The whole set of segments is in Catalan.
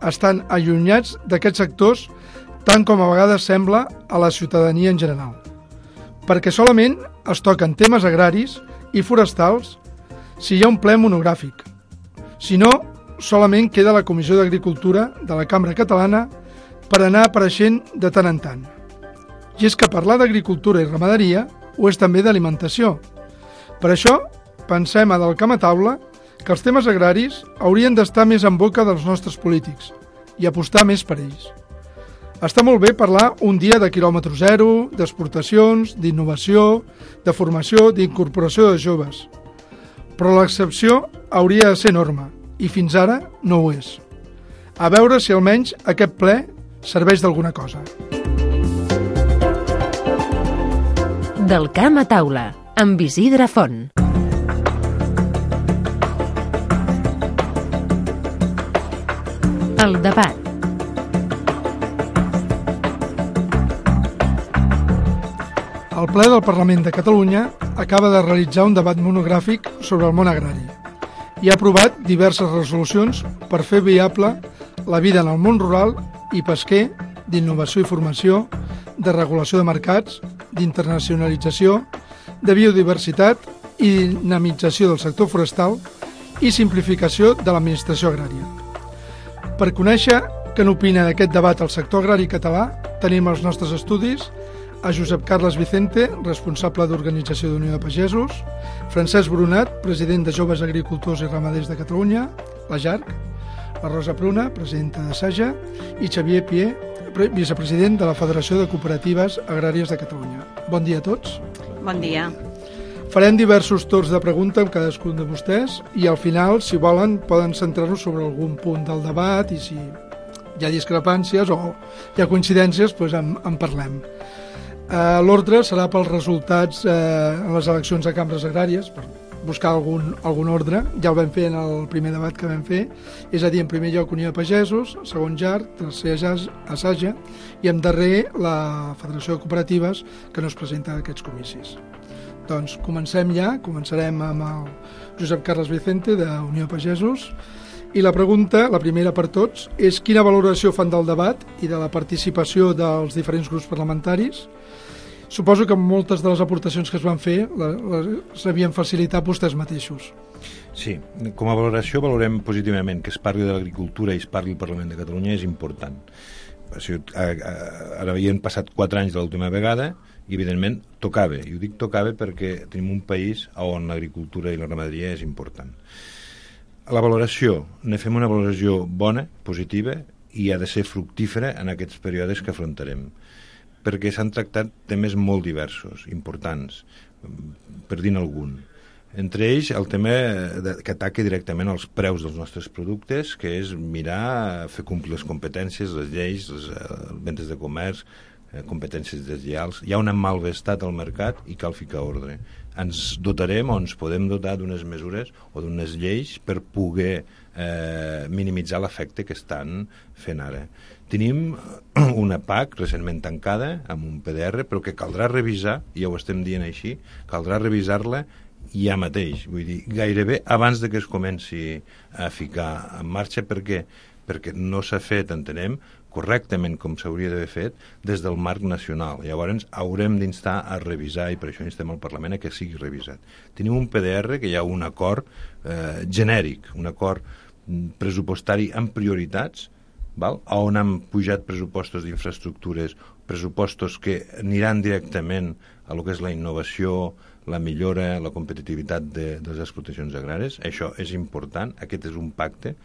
estan allunyats d'aquests sectors tant com a vegades sembla a la ciutadania en general. Perquè solament es toquen temes agraris i forestals si hi ha un ple monogràfic. Si no, solament queda la Comissió d'Agricultura de la Cambra Catalana per anar apareixent de tant en tant. I és que parlar d'agricultura i ramaderia ho és també d'alimentació. Per això, pensem a Del Camp a Taula que els temes agraris haurien d'estar més en boca dels nostres polítics i apostar més per ells. Està molt bé parlar un dia de quilòmetre zero, d'exportacions, d'innovació, de formació, d'incorporació de joves. Però l'excepció hauria de ser norma, i fins ara no ho és. A veure si almenys aquest ple serveix d'alguna cosa. Del Camp a Taula, amb Isidre Font. El debat. El ple del Parlament de Catalunya acaba de realitzar un debat monogràfic sobre el món agrari i ha aprovat diverses resolucions per fer viable la vida en el món rural i pesquer, d'innovació i formació, de regulació de mercats, d'internacionalització, de biodiversitat i dinamització del sector forestal i simplificació de l'administració agrària. Per conèixer què n'opina d'aquest debat el sector agrari català, tenim els nostres estudis a Josep Carles Vicente, responsable d'Organització d'Unió de Pagesos, Francesc Brunat, president de Joves Agricultors i Ramaders de Catalunya, la JARC, la Rosa Pruna, presidenta de SAJA, i Xavier Pier, vicepresident de la Federació de Cooperatives Agràries de Catalunya. Bon dia a tots. Bon dia. Farem diversos torns de pregunta amb cadascun de vostès i al final, si volen, poden centrar-nos sobre algun punt del debat i si hi ha discrepàncies o hi ha coincidències, doncs en parlem. L'ordre serà pels resultats en les eleccions a cambres agràries, per buscar algun ordre. Ja el vam fer en el primer debat que vam fer, és a dir, en primer lloc Unió de Pagesos, segon JARC, tercer ASAJA i en darrer la Federació de Cooperatives, que no es presenta a aquests comicis. Doncs començarem amb el Josep Carles Vicente de Unió de Pagesos i la pregunta, la primera per tots, és quina valoració fan del debat i de la participació dels diferents grups parlamentaris. Suposo que moltes de les aportacions que es van fer les havien facilitat vostès mateixos. Sí, com a valoració valorem positivament que es parli de l'agricultura i es parli al Parlament de Catalunya, és important. Ara havien passat 4 anys de l'última vegada i evidentment tocava, i ho dic tocava perquè tenim un país on l'agricultura i la ramaderia és important. La valoració, ne fem una valoració bona, positiva, i ha de ser fructífera en aquests períodes que afrontarem, perquè s'han tractat temes molt diversos, importants, per dir-ne algun. Entre ells, el tema que ataca directament els preus dels nostres productes, que és mirar, fer complir les competències, les lleis, les ventes de comerç, competències deslleials. Hi ha un malvestat al mercat i cal ficar ordre. Ens dotarem o ens podem dotar d'unes mesures o d'unes lleis per poder minimitzar l'efecte que estan fent ara. Tenim una PAC recentment tancada amb un PDR, però que caldrà revisar, ja ho estem dient així, caldrà revisar-la ja mateix, vull dir, gairebé abans de que es comenci a ficar en marxa, perquè no s'ha fet, entenem, correctament com s'hauria d'haver fet des del marc nacional. Llavors haurem d'instar a revisar, i per això instem al Parlament a que sigui revisat. Tenim un PDR que hi ha un acord genèric, un acord pressupostari amb prioritats, on han pujat pressupostos d'infraestructures, pressupostos que aniran directament a lo que és la innovació, la millora, la competitivitat de les explotacions agràries. Això és important. Aquest és un pacte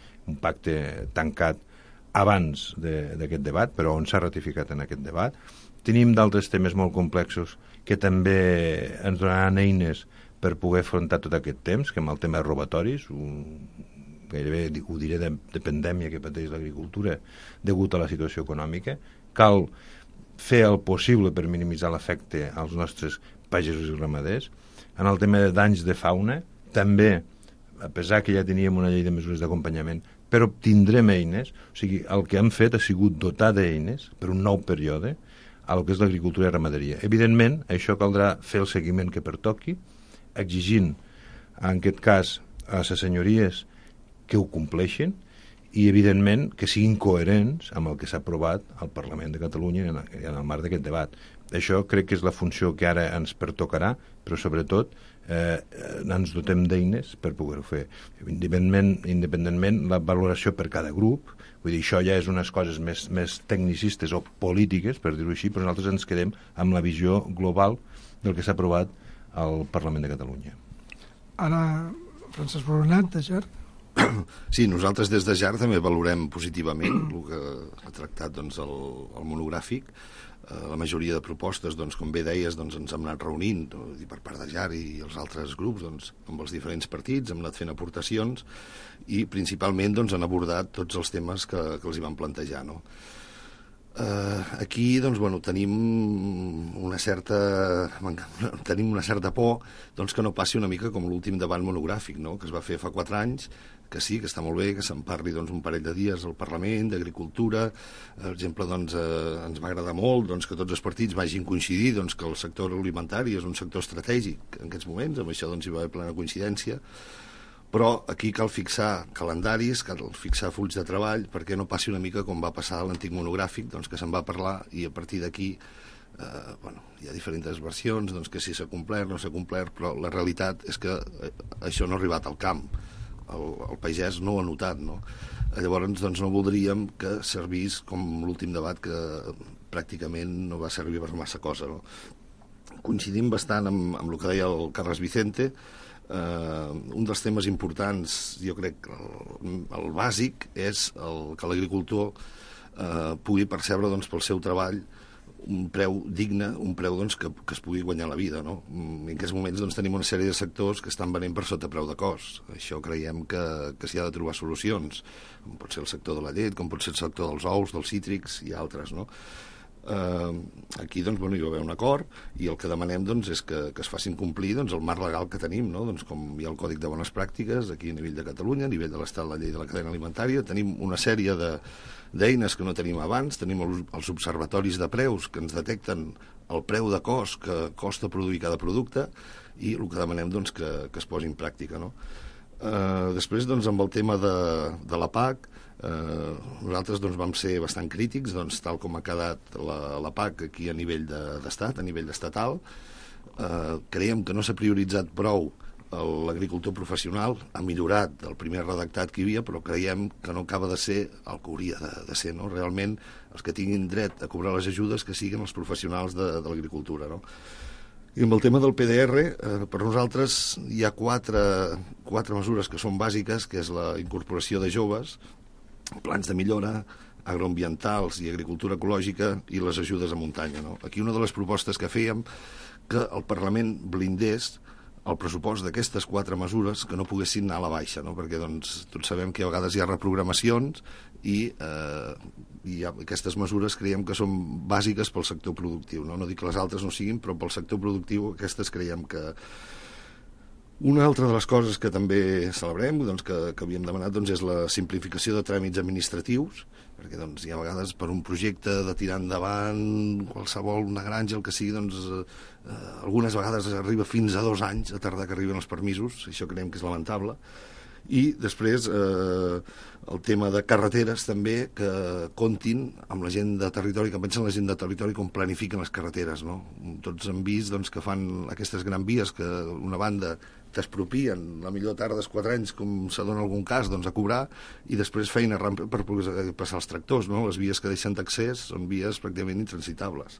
tancat abans d'aquest debat, però on s'ha ratificat en aquest debat. Tenim d'altres temes molt complexos que també ens donaran eines per poder afrontar tot aquest temps, que amb el tema de robatoris, gairebé ho diré de pandèmia que pateix l'agricultura degut a la situació econòmica. Cal fer el possible per minimitzar l'efecte als nostres pagesos i ramaders. En el tema de danys de fauna, també, a pesar que ja teníem una llei de mesures d'acompanyament, però tindrem eines, o sigui, el que hem fet ha sigut dotar d'eines per un nou període a lo que és l'agricultura i ramaderia. Evidentment, això caldrà fer el seguiment que pertoqui, exigint, en aquest cas, a les senyories que ho compleixin i, evidentment, que siguin coherents amb el que s'ha aprovat al Parlament de Catalunya en el marc d'aquest debat. Això crec que és la funció que ara ens pertocarà, però sobretot ens dotem d'eines per poder-ho fer. Independentment la valoració per cada grup, vull dir, això ja és unes coses més tecnicistes o polítiques, per dir-ho així, però nosaltres ens quedem amb la visió global del que s'ha aprovat al Parlament de Catalunya. Ara, Francesc Boronat, de GER. Sí, nosaltres des de GER també valorem positivament el que ha tractat doncs, el monogràfic. La majoria de propostes, doncs, com bé deies, doncs, ens hem anat reunint per part de GER i els altres grups doncs, amb els diferents partits, hem anat fent aportacions i principalment doncs, han abordat tots els temes que els hi van plantejar. No? Aquí doncs, bueno, tenim una certa por doncs, que no passi una mica com l'últim debat monogràfic, no? Que es va fer fa 4 anys, que sí, que està molt bé, que se'n parli doncs, un parell de dies al Parlament, d'Agricultura. Per exemple, doncs, ens va agradar molt doncs, que tots els partits vagin coincidir doncs, que el sector alimentari és un sector estratègic en aquests moments, amb això doncs, hi va haver plena coincidència, però aquí cal fixar calendaris, cal fixar fulls de treball, perquè no passi una mica com va passar a l'antic monogràfic, doncs, que se'n va parlar i a partir d'aquí hi ha diferents versions, doncs, que si s'ha complert, no s'ha complert, però la realitat és que això no ha arribat al camp. El pagès no ho ha notat, no? Llavors doncs, no voldríem que servís com l'últim debat, que pràcticament no va servir per massa cosa, no? Coincidim bastant amb el que deia el Carles Vicente. Un dels temes importants, jo crec, el bàsic, és que l'agricultor pugui percebre doncs, pel seu treball un preu digne, un preu doncs, que es pugui guanyar la vida. No? En aquests moments doncs, tenim una sèrie de sectors que estan venent per sota preu de cost. Això creiem que s'hi ha de trobar solucions, com pot ser el sector de la llet, com pot ser el sector dels ous, dels cítrics i altres. No? Aquí doncs, bueno, hi va haver un acord i el que demanem doncs, és que es facin complir doncs, el marc legal que tenim, no? Doncs, com hi ha el Còdic de Bones Pràctiques aquí a nivell de Catalunya, a nivell de l'Estat, la llei de la cadena alimentària, tenim una sèrie d'eines que no tenim abans, tenim els observatoris de preus que ens detecten el preu de cost que costa produir cada producte i el que demanem doncs, que es posi en pràctica. No? Després, doncs, amb el tema de la PAC, nosaltres doncs, vam ser bastant crítics, doncs, tal com ha quedat la PAC aquí a nivell d'estat, a nivell estatal. Creiem que no s'ha prioritzat prou l'agricultor professional, ha millorat el primer redactat que hi havia, però creiem que no acaba de ser el que hauria de ser. No? Realment, els que tinguin dret a cobrar les ajudes que siguin els professionals de l'agricultura. No? I amb el tema del PDR, per nosaltres hi ha quatre mesures que són bàsiques, que és la incorporació de joves, plans de millora, agroambientals i agricultura ecològica i les ajudes a muntanya. No? Aquí una de les propostes que fèiem, que el Parlament blindés el pressupost d'aquestes 4 mesures que no poguessin anar a la baixa, no? Perquè doncs, tots sabem que a vegades hi ha reprogramacions i aquestes mesures creiem que són bàsiques pel sector productiu. No dic que les altres no siguin, però pel sector productiu aquestes creiem que... Una altra de les coses que també celebrem, doncs, que havíem demanat, doncs, és la simplificació de tràmits administratius, perquè doncs, hi ha vegades per un projecte de tirar endavant qualsevol, una granja, el que sigui, doncs, algunes vegades arriba fins a 2 anys a tardar que arriben els permisos, això creiem que és lamentable. I després el tema de carreteres també, que comptin amb la gent de territori, que pensen la gent de territori com planifiquen les carreteres. No? Tots hem vist doncs, que fan aquestes grans vies que una banda t'expropien, la millor tardes 4 anys, com se dona algun cas, doncs, a cobrar, i després feina per poder passar els tractors. No? Les vies que deixen d'accés són vies pràcticament intransitables.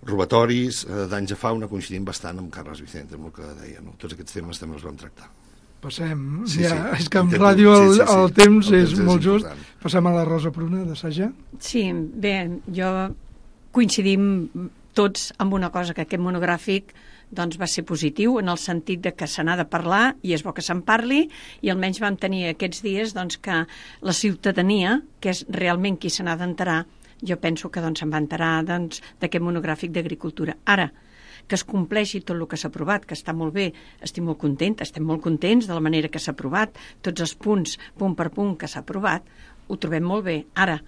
Robatoris, danys a fauna, coincidim bastant amb Carles Vicente, amb el que deia. No? Tots aquests temes també els vam tractar. Passem, sí. És que en ràdio el temps és molt just. Passem a la Rosa Pruna, de Saja. Sí, bé, jo coincidim tots amb una cosa, que aquest monogràfic doncs, va ser positiu, en el sentit de que se n'ha de parlar, i és bo que se'n parli, i almenys vam tenir aquests dies doncs, que la ciutadania, que és realment qui se n'ha d'enterar, jo penso que doncs, se'n va enterar doncs, d'aquest monogràfic d'agricultura. Ara, que es compleixi tot el que s'ha aprovat, que està molt bé, estem molt contents de la manera que s'ha aprovat, tots els punts, punt per punt, que s'ha aprovat, ho trobem molt bé. Ara,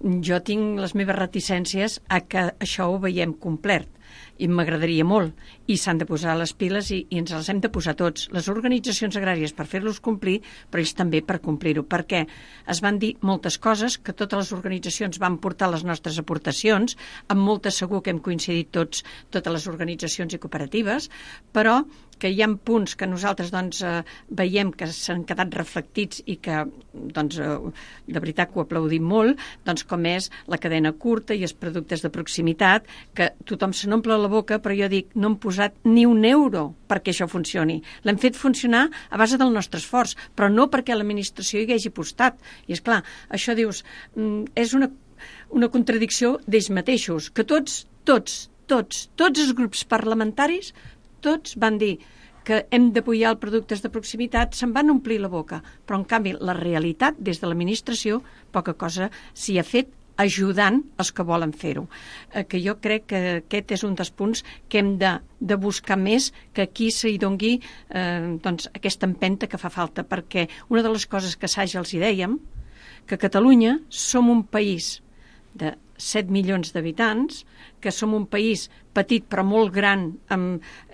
jo tinc les meves reticències a que això ho veiem complert, i m'agradaria molt, i s'han de posar les piles i ens les hem de posar tots, les organitzacions agràries per fer-los complir, però ells també per complir-ho, perquè es van dir moltes coses que totes les organitzacions van portar les nostres aportacions, amb moltes segur que hem coincidit totes les organitzacions i cooperatives, però que hi ha punts que nosaltres veiem que s'han quedat reflectits i que de veritat que ho aplaudim molt, com és la cadena curta i els productes de proximitat, que tothom se n'omple la boca, però jo dic, no hem posat ni un euro perquè això funcioni. L'hem fet funcionar a base del nostre esforç, però no perquè l'administració hi hagi apostat. I és clar, això dius, és una contradicció d'ells mateixos, que tots els grups parlamentaris, tots van dir que hem d'apoyar els productes de proximitat, se'n van omplir la boca. Però, en canvi, la realitat, des de l'administració, poca cosa s'hi ha fet ajudant els que volen fer-ho. Que jo crec que aquest és un dels punts que hem de buscar més, que aquí s'hi dongui aquesta empenta que fa falta, perquè una de les coses que assaj els hi dèiem, que a Catalunya som un país de 7 milions d'habitants, que som un país petit però molt gran,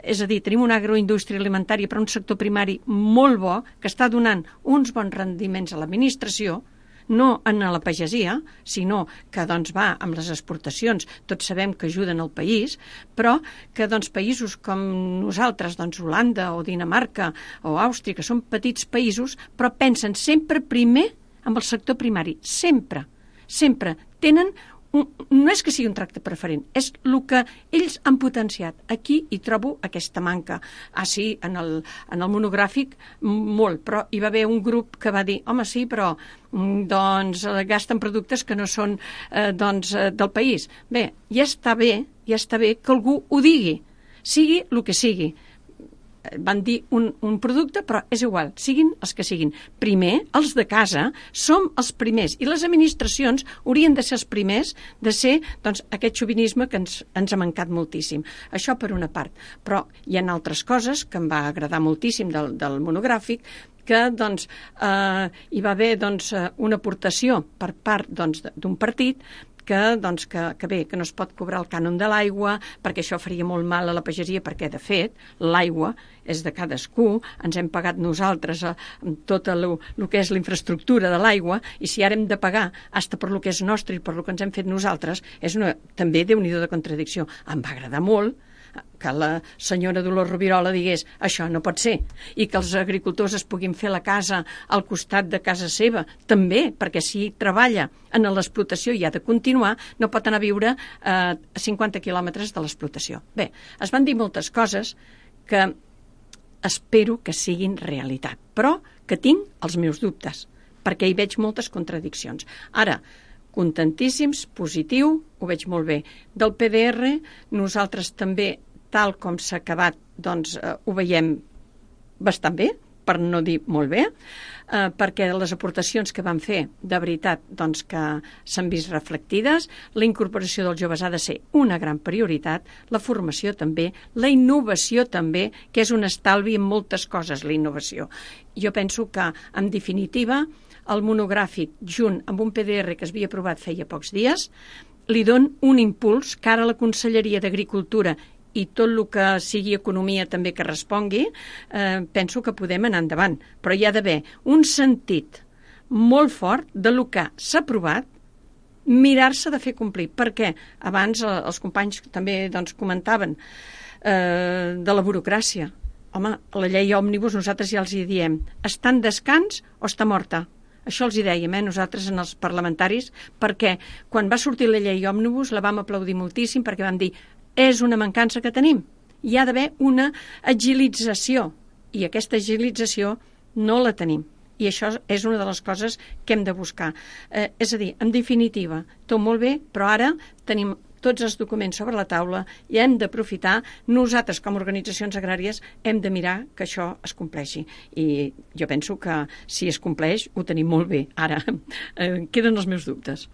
és a dir, tenim una agroindústria alimentària però un sector primari molt bo, que està donant uns bons rendiments a l'administració, no en la pagesia, sinó que va amb les exportacions, tots sabem que ajuden el país, però que països com nosaltres, Holanda o Dinamarca o Àustria, que són petits països, però pensen sempre primer amb el sector primari, sempre tenen no és que sigui un tracte preferent, és el que ells han potenciat. Aquí hi trobo aquesta manca. Sí, en el monogràfic molt, però hi va haver un grup que va dir, home, sí, però gasten productes que no són del país. Bé, ja està bé que algú ho digui, sigui el que sigui. Van dir un producte, però és igual, siguin els que siguin. Primer, els de casa, som els primers, i les administracions haurien de ser els primers de ser aquest xovinisme que ens ha mancat moltíssim. Això per una part. Però hi ha altres coses que em va agradar moltíssim del monogràfic, que hi va haver una aportació per part d'un partit que no es pot cobrar el cànon de l'aigua, perquè això faria molt mal a la pagesia, perquè, de fet, l'aigua és de cadascú, ens hem pagat nosaltres tot el que és la infraestructura de l'aigua, i si ara hem de pagar fins per lo que és nostre i per lo que ens hem fet nosaltres, és també déu-n'hi-do de contradicció. Em va agradar molt que la senyora Dolors Rovirola digués això no pot ser, i que els agricultors es puguin fer la casa al costat de casa seva, també, perquè si treballa en l'explotació i ha de continuar, no pot anar a viure a 50 quilòmetres de l'explotació. Bé, es van dir moltes coses que espero que siguin realitat, però que tinc els meus dubtes, perquè hi veig moltes contradiccions. Ara, contentíssims, positiu, ho veig molt bé. Del PDR, nosaltres també, tal com s'ha acabat, ho veiem bastant bé, per no dir molt bé, perquè les aportacions que van fer, de veritat, que s'han vist reflectides, la incorporació dels joves ha de ser una gran prioritat, la formació també, la innovació també, que és un estalvi en moltes coses, la innovació. Jo penso que, en definitiva, el monogràfic, junt amb un PDR que es havia aprovat feia pocs dies, li don un impuls que ara la Conselleria d'Agricultura i tot el que sigui economia també que respongui, penso que podem anar endavant. Però hi ha d'haver un sentit molt fort de lo que s'ha aprovat, mirar-se de fer complir. Perquè abans els companys també comentaven de la burocràcia. Home, la llei òmnibus nosaltres ja els hi diem, està en descans o està morta? Això els hi dèiem, nosaltres, en els parlamentaris, perquè quan va sortir la llei òmnibus la vam aplaudir moltíssim, perquè vam dir és una mancança que tenim. Hi ha d'haver una agilització, i aquesta agilització no la tenim. I això és una de les coses que hem de buscar. És a dir, en definitiva, tot molt bé, però ara tenim tots els documents sobre la taula i hem d'aprofitar, nosaltres com a organitzacions agràries hem de mirar que això es compleixi. I jo penso que si es compleix ho tenim molt bé. Ara, queden els meus dubtes.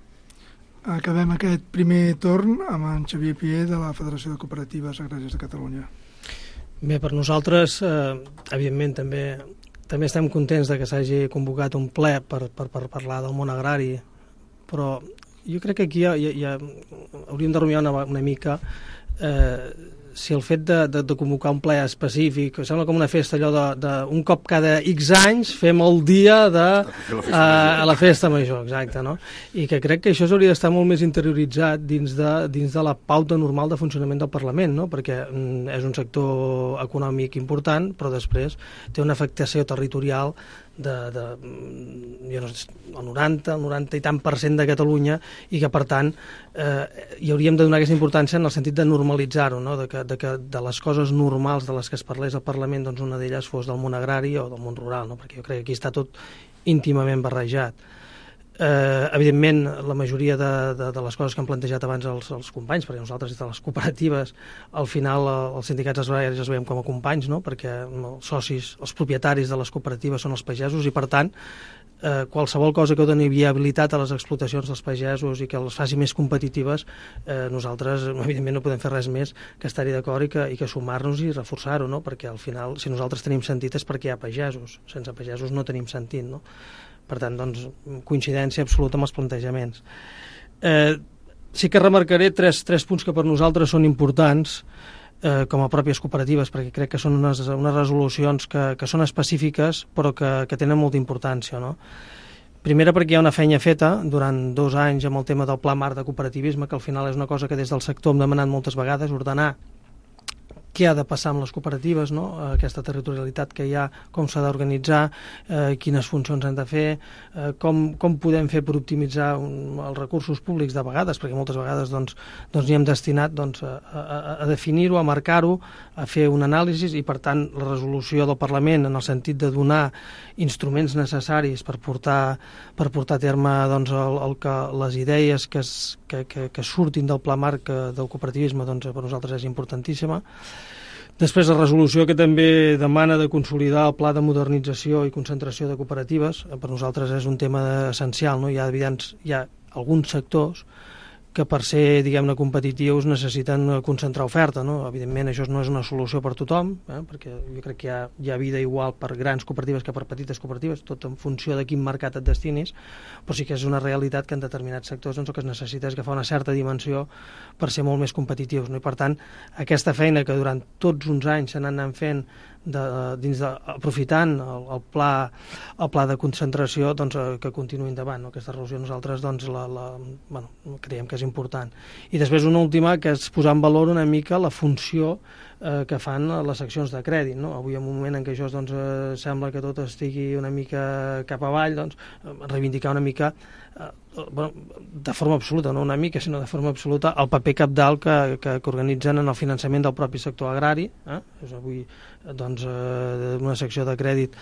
Acabem aquest primer torn amb en Xavier Pié de la Federació de Cooperatives Agràries de Catalunya. Bé, per nosaltres, evidentment, també estem contents de que s'hagi convocat un ple per parlar del món agrari, però Jo crec que aquí ja hauríem de rumiar una mica si el fet de convocar un ple específic, sembla com una festa allò un cop cada X anys fem el dia a la festa major, exacte, no? I que crec que això hauria d'estar molt més interioritzat dins de la pauta normal de funcionament del Parlament, no? Perquè és un sector econòmic important, però després té una afectació territorial jo no sé, el 90 i tant % de Catalunya, i que per tant hi hauríem de donar aquesta importància en el sentit de normalitzar-ho, no? De que de les coses normals de les que es parlés al Parlament, doncs una d'elles fos del món agrari o del món rural, no? Perquè jo crec que aquí està tot íntimament barrejat. Evidentment, la majoria de les coses que han plantejat abans els companys, perquè nosaltres des de les cooperatives, al final els sindicats agraris els veiem com a companys, no? Perquè els socis, els propietaris de les cooperatives són els pagesos, i per tant qualsevol cosa que doni viabilitat a les explotacions dels pagesos i que les faci més competitives, nosaltres evidentment no podem fer res més que estar-hi d'acord i que sumar-nos i reforçar-ho, no? Perquè al final, si nosaltres tenim sentit és perquè hi ha pagesos, sense pagesos no tenim sentit, no? Per tant, doncs, coincidència absoluta amb els plantejaments. Sí que remarcaré tres punts que per nosaltres són importants com a pròpies cooperatives, perquè crec que són unes resolucions que són específiques però que tenen molta importància, no? Primera, perquè hi ha una feina feta durant 2 anys amb el tema del Pla Marc de Cooperativisme, que al final és una cosa que des del sector hem demanat moltes vegades, ordenar què ha de passar amb les cooperatives, no? Aquesta territorialitat que hi ha, com s'ha d'organitzar, quines funcions han de fer, com podem fer per optimitzar els recursos públics de vegades, perquè moltes vegades doncs n'hi hem destinat a definir-ho, a marcar-ho, a fer un anàlisi, i per tant la resolució del Parlament en el sentit de donar instruments necessaris per portar a terme doncs, les idees que surtin del Pla Marc del cooperativisme, doncs per nosaltres és importantíssima. Després, la resolució que també demana de consolidar el pla de modernització i concentració de cooperatives, per nosaltres és un tema essencial, no? Hi ha alguns sectors que per ser, diguem-ne, competitius necessiten concentrar oferta, no? Evidentment això no és una solució per tothom, perquè jo crec que hi ha vida igual per grans cooperatives que per petites cooperatives, tot en funció de quin mercat et destinis, però sí que és una realitat que en determinats sectors doncs, el que es necessita és agafar una certa dimensió per ser molt més competitius, no? I per tant, aquesta feina que durant tots uns anys s'han anat fent aprofitant el pla de concentració, doncs, que continuï endavant, no? Aquesta resolució nosaltres doncs, creiem que és important. I després una última, que és posar en valor una mica la funció que fan les seccions de crèdit, no? Avui, en un moment en què això doncs, sembla que tot estigui una mica cap avall, doncs, reivindicar una mica, de forma absoluta, no una mica, sinó de forma absoluta, el paper cabdal que organitzen en el finançament del propi sector agrari. És avui doncs, una secció de crèdit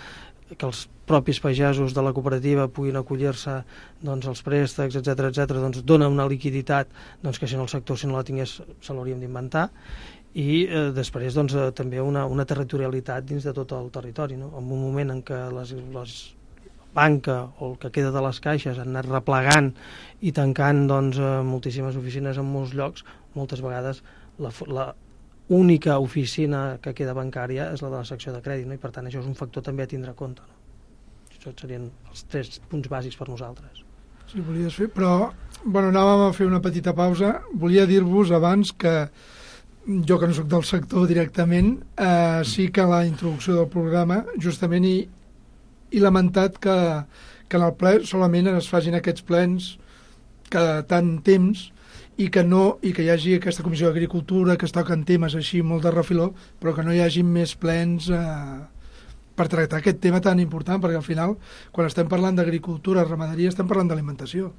que els propis pagesos de la cooperativa puguin acollir-se doncs, als préstecs, etc doncs, dona una liquiditat doncs, que si no el sector, si no la tingués, se l'hauríem d'inventar. I després doncs, també una territorialitat dins de tot el territori, no? En un moment en què les banca o el que queda de les caixes han anat replegant i tancant doncs, moltíssimes oficines en molts llocs, moltes vegades la única oficina que queda bancària és la de la secció de crèdit, no? I per tant això és un factor també a tindre en compte, no? Això serien els 3 punts bàsics per nosaltres. Sí, volies fer, però anàvem a fer una petita pausa. Volia dir-vos abans que jo, que no soc del sector directament, sí que a la introducció del programa justament he lamentat que en el ple solament es facin aquests plens cada tant temps i que hi hagi aquesta comissió d'agricultura que es toquen temes així molt de refiló, però que no hi hagi més plens per tractar aquest tema tan important, perquè al final quan estem parlant d'agricultura, ramaderia, estem parlant d'alimentació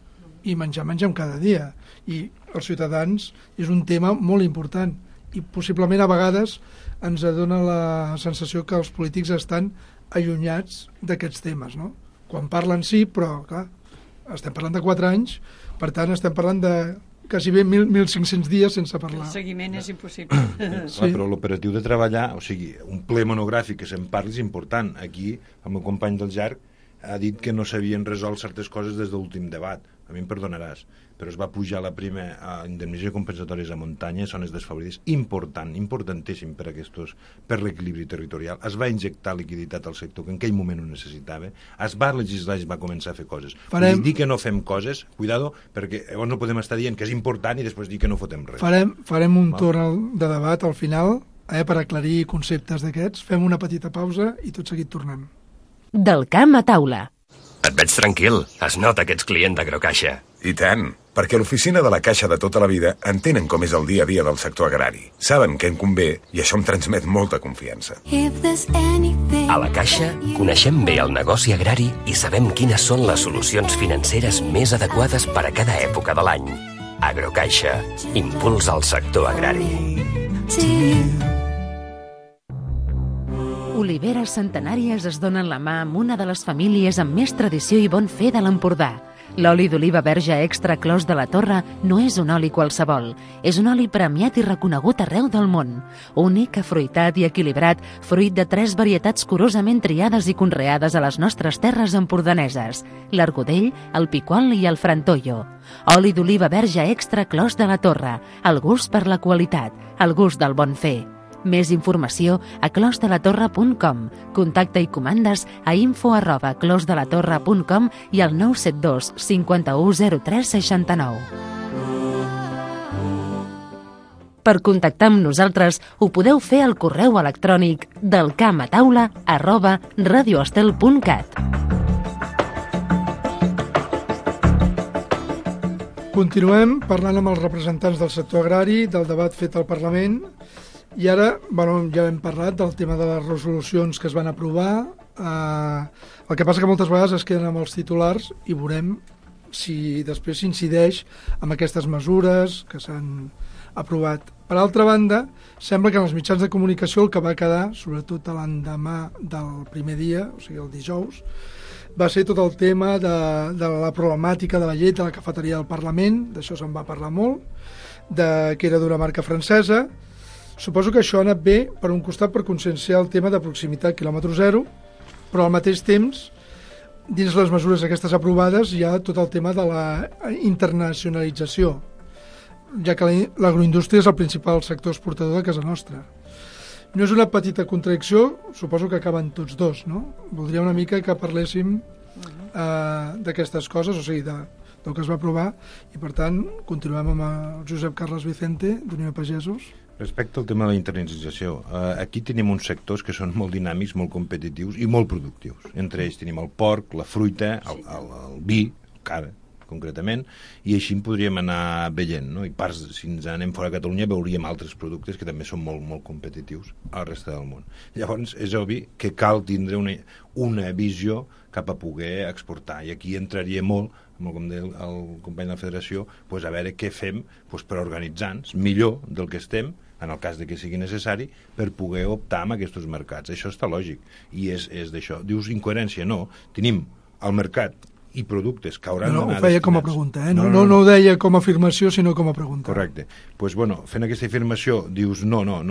i mengem cada dia, i els ciutadans és un tema molt important i possiblement a vegades ens dona la sensació que els polítics estan allunyats d'aquests temes, no? Quan parlen sí, però clar, estem parlant de 4 anys, per tant estem parlant de quasi bé 1.500 dies sense parlar. El seguiment és impossible. Sí. Però l'operatiu de treballar, o sigui, un ple monogràfic que se'n parli és important. Aquí, el meu company del JARC ha dit que no s'havien resolt certes coses des de l'últim debat. a mi em perdonaràs, però es va pujar la prima a indemnització compensatòries a muntanya, zones desfavorides, importantíssim per l'equilibri territorial. Es va injectar liquiditat al sector que en aquell moment ho necessitava, es va legislar i es va començar a fer coses. Vull dir que no fem coses, cuidado, perquè llavors no podem estar dient que és important i després dir que no fotem res. Farem un torn de debat al final, per aclarir conceptes d'aquests. Fem una petita pausa i tot seguit tornem. Del camp a taula. Et veig tranquil. Es nota que ets client d'Agrocaixa. I tant, perquè l'oficina de la Caixa de tota la vida entenen com és el dia a dia del sector agrari. Saben què em convé i això em transmet molta confiança. A la Caixa coneixem bé el negoci agrari i sabem quines són les solucions financeres més adequades per a cada època de l'any. Agrocaixa. Impuls al sector agrari. Oliveres centenàries es donen la mà amb una de les famílies amb més tradició i bon fer de l'Empordà. L'oli d'oliva verge extra Clos de la Torre no és un oli qualsevol. És un oli premiat i reconegut arreu del món. Únic, afruitat i equilibrat, fruit de 3 varietats curosament triades i conreades a les nostres terres empordaneses: l'Argudell, el Picual i el Frantollo. Oli d'oliva verge extra Clos de la Torre. El gust per la qualitat, el gust del bon fer. Més informació a closdelatorre.com. Contacte i comandes a info@closdelatorre.com i al 972 51 03 69. Per contactar amb nosaltres ho podeu fer al correu electrònic delcamataula@radioestel.cat. Continuem parlant amb els representants del sector agrari, del debat fet al Parlament. I ara, ja hem parlat del tema de les resolucions que es van aprovar. El que passa que moltes vegades es queden amb els titulars i veurem si després s'incideix amb aquestes mesures que s'han aprovat. Per altra banda, sembla que en els mitjans de comunicació el que va quedar, sobretot l'endemà del primer dia, o sigui el dijous, va ser tot el tema de la problemàtica de la llet de la cafeteria del Parlament. D'això se'n va parlar molt, que era d'una marca francesa. Suposo que això ha anat bé, per un costat, per conscienciar el tema de proximitat quilòmetre zero, però al mateix temps, dins les mesures aquestes aprovades, hi ha tot el tema de la internacionalització, ja que l'agroindústria és el principal sector exportador de casa nostra. No és una petita contradicció, suposo que acaben tots dos, no? Voldria una mica que parléssim d'aquestes coses, o sigui, del que es va aprovar, i per tant continuem amb el Josep Carles Vicente, d'Unió de Pagesos. Respecte al tema de la internacionalització, aquí tenim uns sectors que són molt dinàmics, molt competitius i molt productius. Entre ells tenim el porc, la fruita, el vi, el cara, concretament, i així en podríem anar veient, no? I si ens anem fora de Catalunya veuríem altres productes que també són molt, molt competitius a la resta del món. Llavors, és obvi que cal tindre una visió cap a poder exportar, i aquí entraria molt, com deia el company de la Federació, a veure què fem per organitzar-nos millor del que estem, en el cas de que sigui necessari, per poder optar en aquests mercats. Això està lògic, i és d'això. Dius incoherència? No. Tenim el mercat i productes que hauran d'anar... Ho feia com a pregunta, no ho deia com a afirmació, sinó com a pregunta. Correcte. Doncs, fent aquesta afirmació, dius, no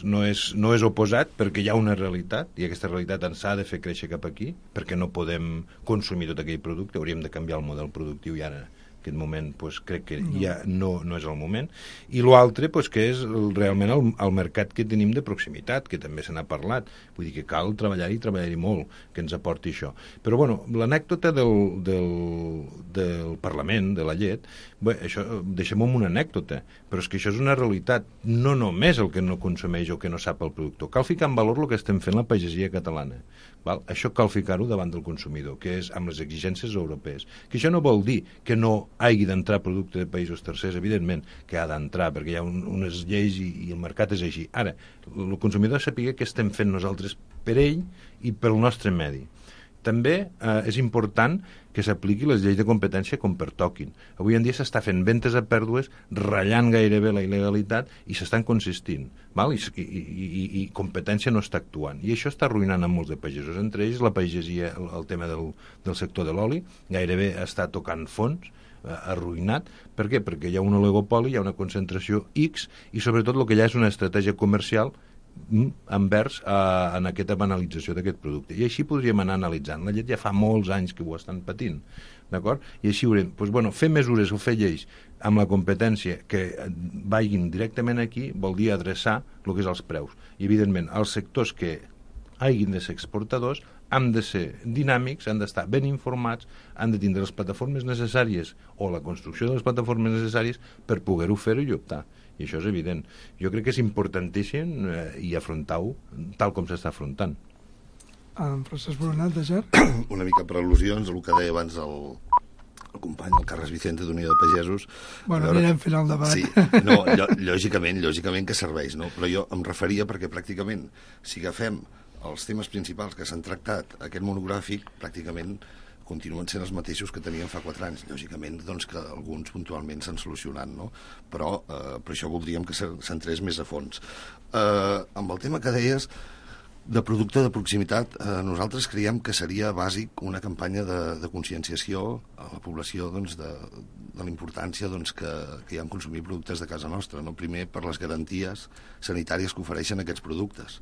és oposat, perquè hi ha una realitat, i aquesta realitat ens ha de fer créixer cap aquí, perquè no podem consumir tot aquell producte, hauríem de canviar el model productiu, i ara en aquest moment crec que ja no és el moment. I l'altre, que és realment el mercat que tenim de proximitat, que també se n'ha parlat. Vull dir que cal treballar-hi molt, que ens aporti això. Però, l'anècdota del Parlament, de la llet, això deixem-ho en una anècdota, però és que això és una realitat, no només el que no consumeix o que no sap el productor. Cal ficar en valor el que estem fent la pagesia catalana. Això cal ficar-ho davant del consumidor, que és amb les exigències europees. Que això no vol dir que no hagi d'entrar producte de països tercers, evidentment que ha d'entrar, perquè hi ha unes lleis i el mercat és així. Ara, el consumidor sàpiga què estem fent nosaltres per ell i pel nostre medi. També és important que s'apliqui les lleis de competència com pertoquin. Avui en dia s'està fent ventes a pèrdues, ratllant gairebé la il·legalitat, i s'estan consistint, i competència no està actuant. I això està arruïnant a molts de pagesos. Entre ells la pagesia, el tema del sector de l'oli, gairebé està tocant fons, arruïnat. Per què? Perquè hi ha un oligopoli, hi ha una concentració X, i sobretot el que hi ha és una estratègia comercial envers en aquesta banalització d'aquest producte. I així podríem anar analitzant. La llet ja fa molts anys que ho estan patint. d'acord? I així haurem, fer mesures o fer lleis amb la competència que vagin directament aquí vol dir adreçar el que és els preus. I, evidentment, els sectors que hagin de ser exportadors han de ser dinàmics, han d'estar ben informats, han de tindre les plataformes necessàries o la construcció de les plataformes necessàries per poder-ho fer-ho i optar. I això és evident. Jo crec que és importantíssim i afrontar-ho tal com s'està afrontant. Francesc Boronat, de Ger? Una mica per al·lusions, el que deia abans el company, el Carles Vicente d'Unió de Pagesos. Bueno, anirem fent el debat. Sí, no, lògicament que serveix, no? Però jo em referia perquè pràcticament, si agafem els temes principals que s'han tractat aquest monogràfic, pràcticament continuen sent els mateixos que teníem fa 4 anys. Lògicament, doncs, que alguns puntualment s'han solucionat, no? Però per això voldríem que s'entrés més a fons. Amb el tema que deies de producte de proximitat, nosaltres creiem que seria bàsic una campanya de conscienciació a la població, doncs, de la importància, doncs, que hi ha en consumir productes de casa nostra, no? Primer, per les garanties sanitàries que ofereixen aquests productes.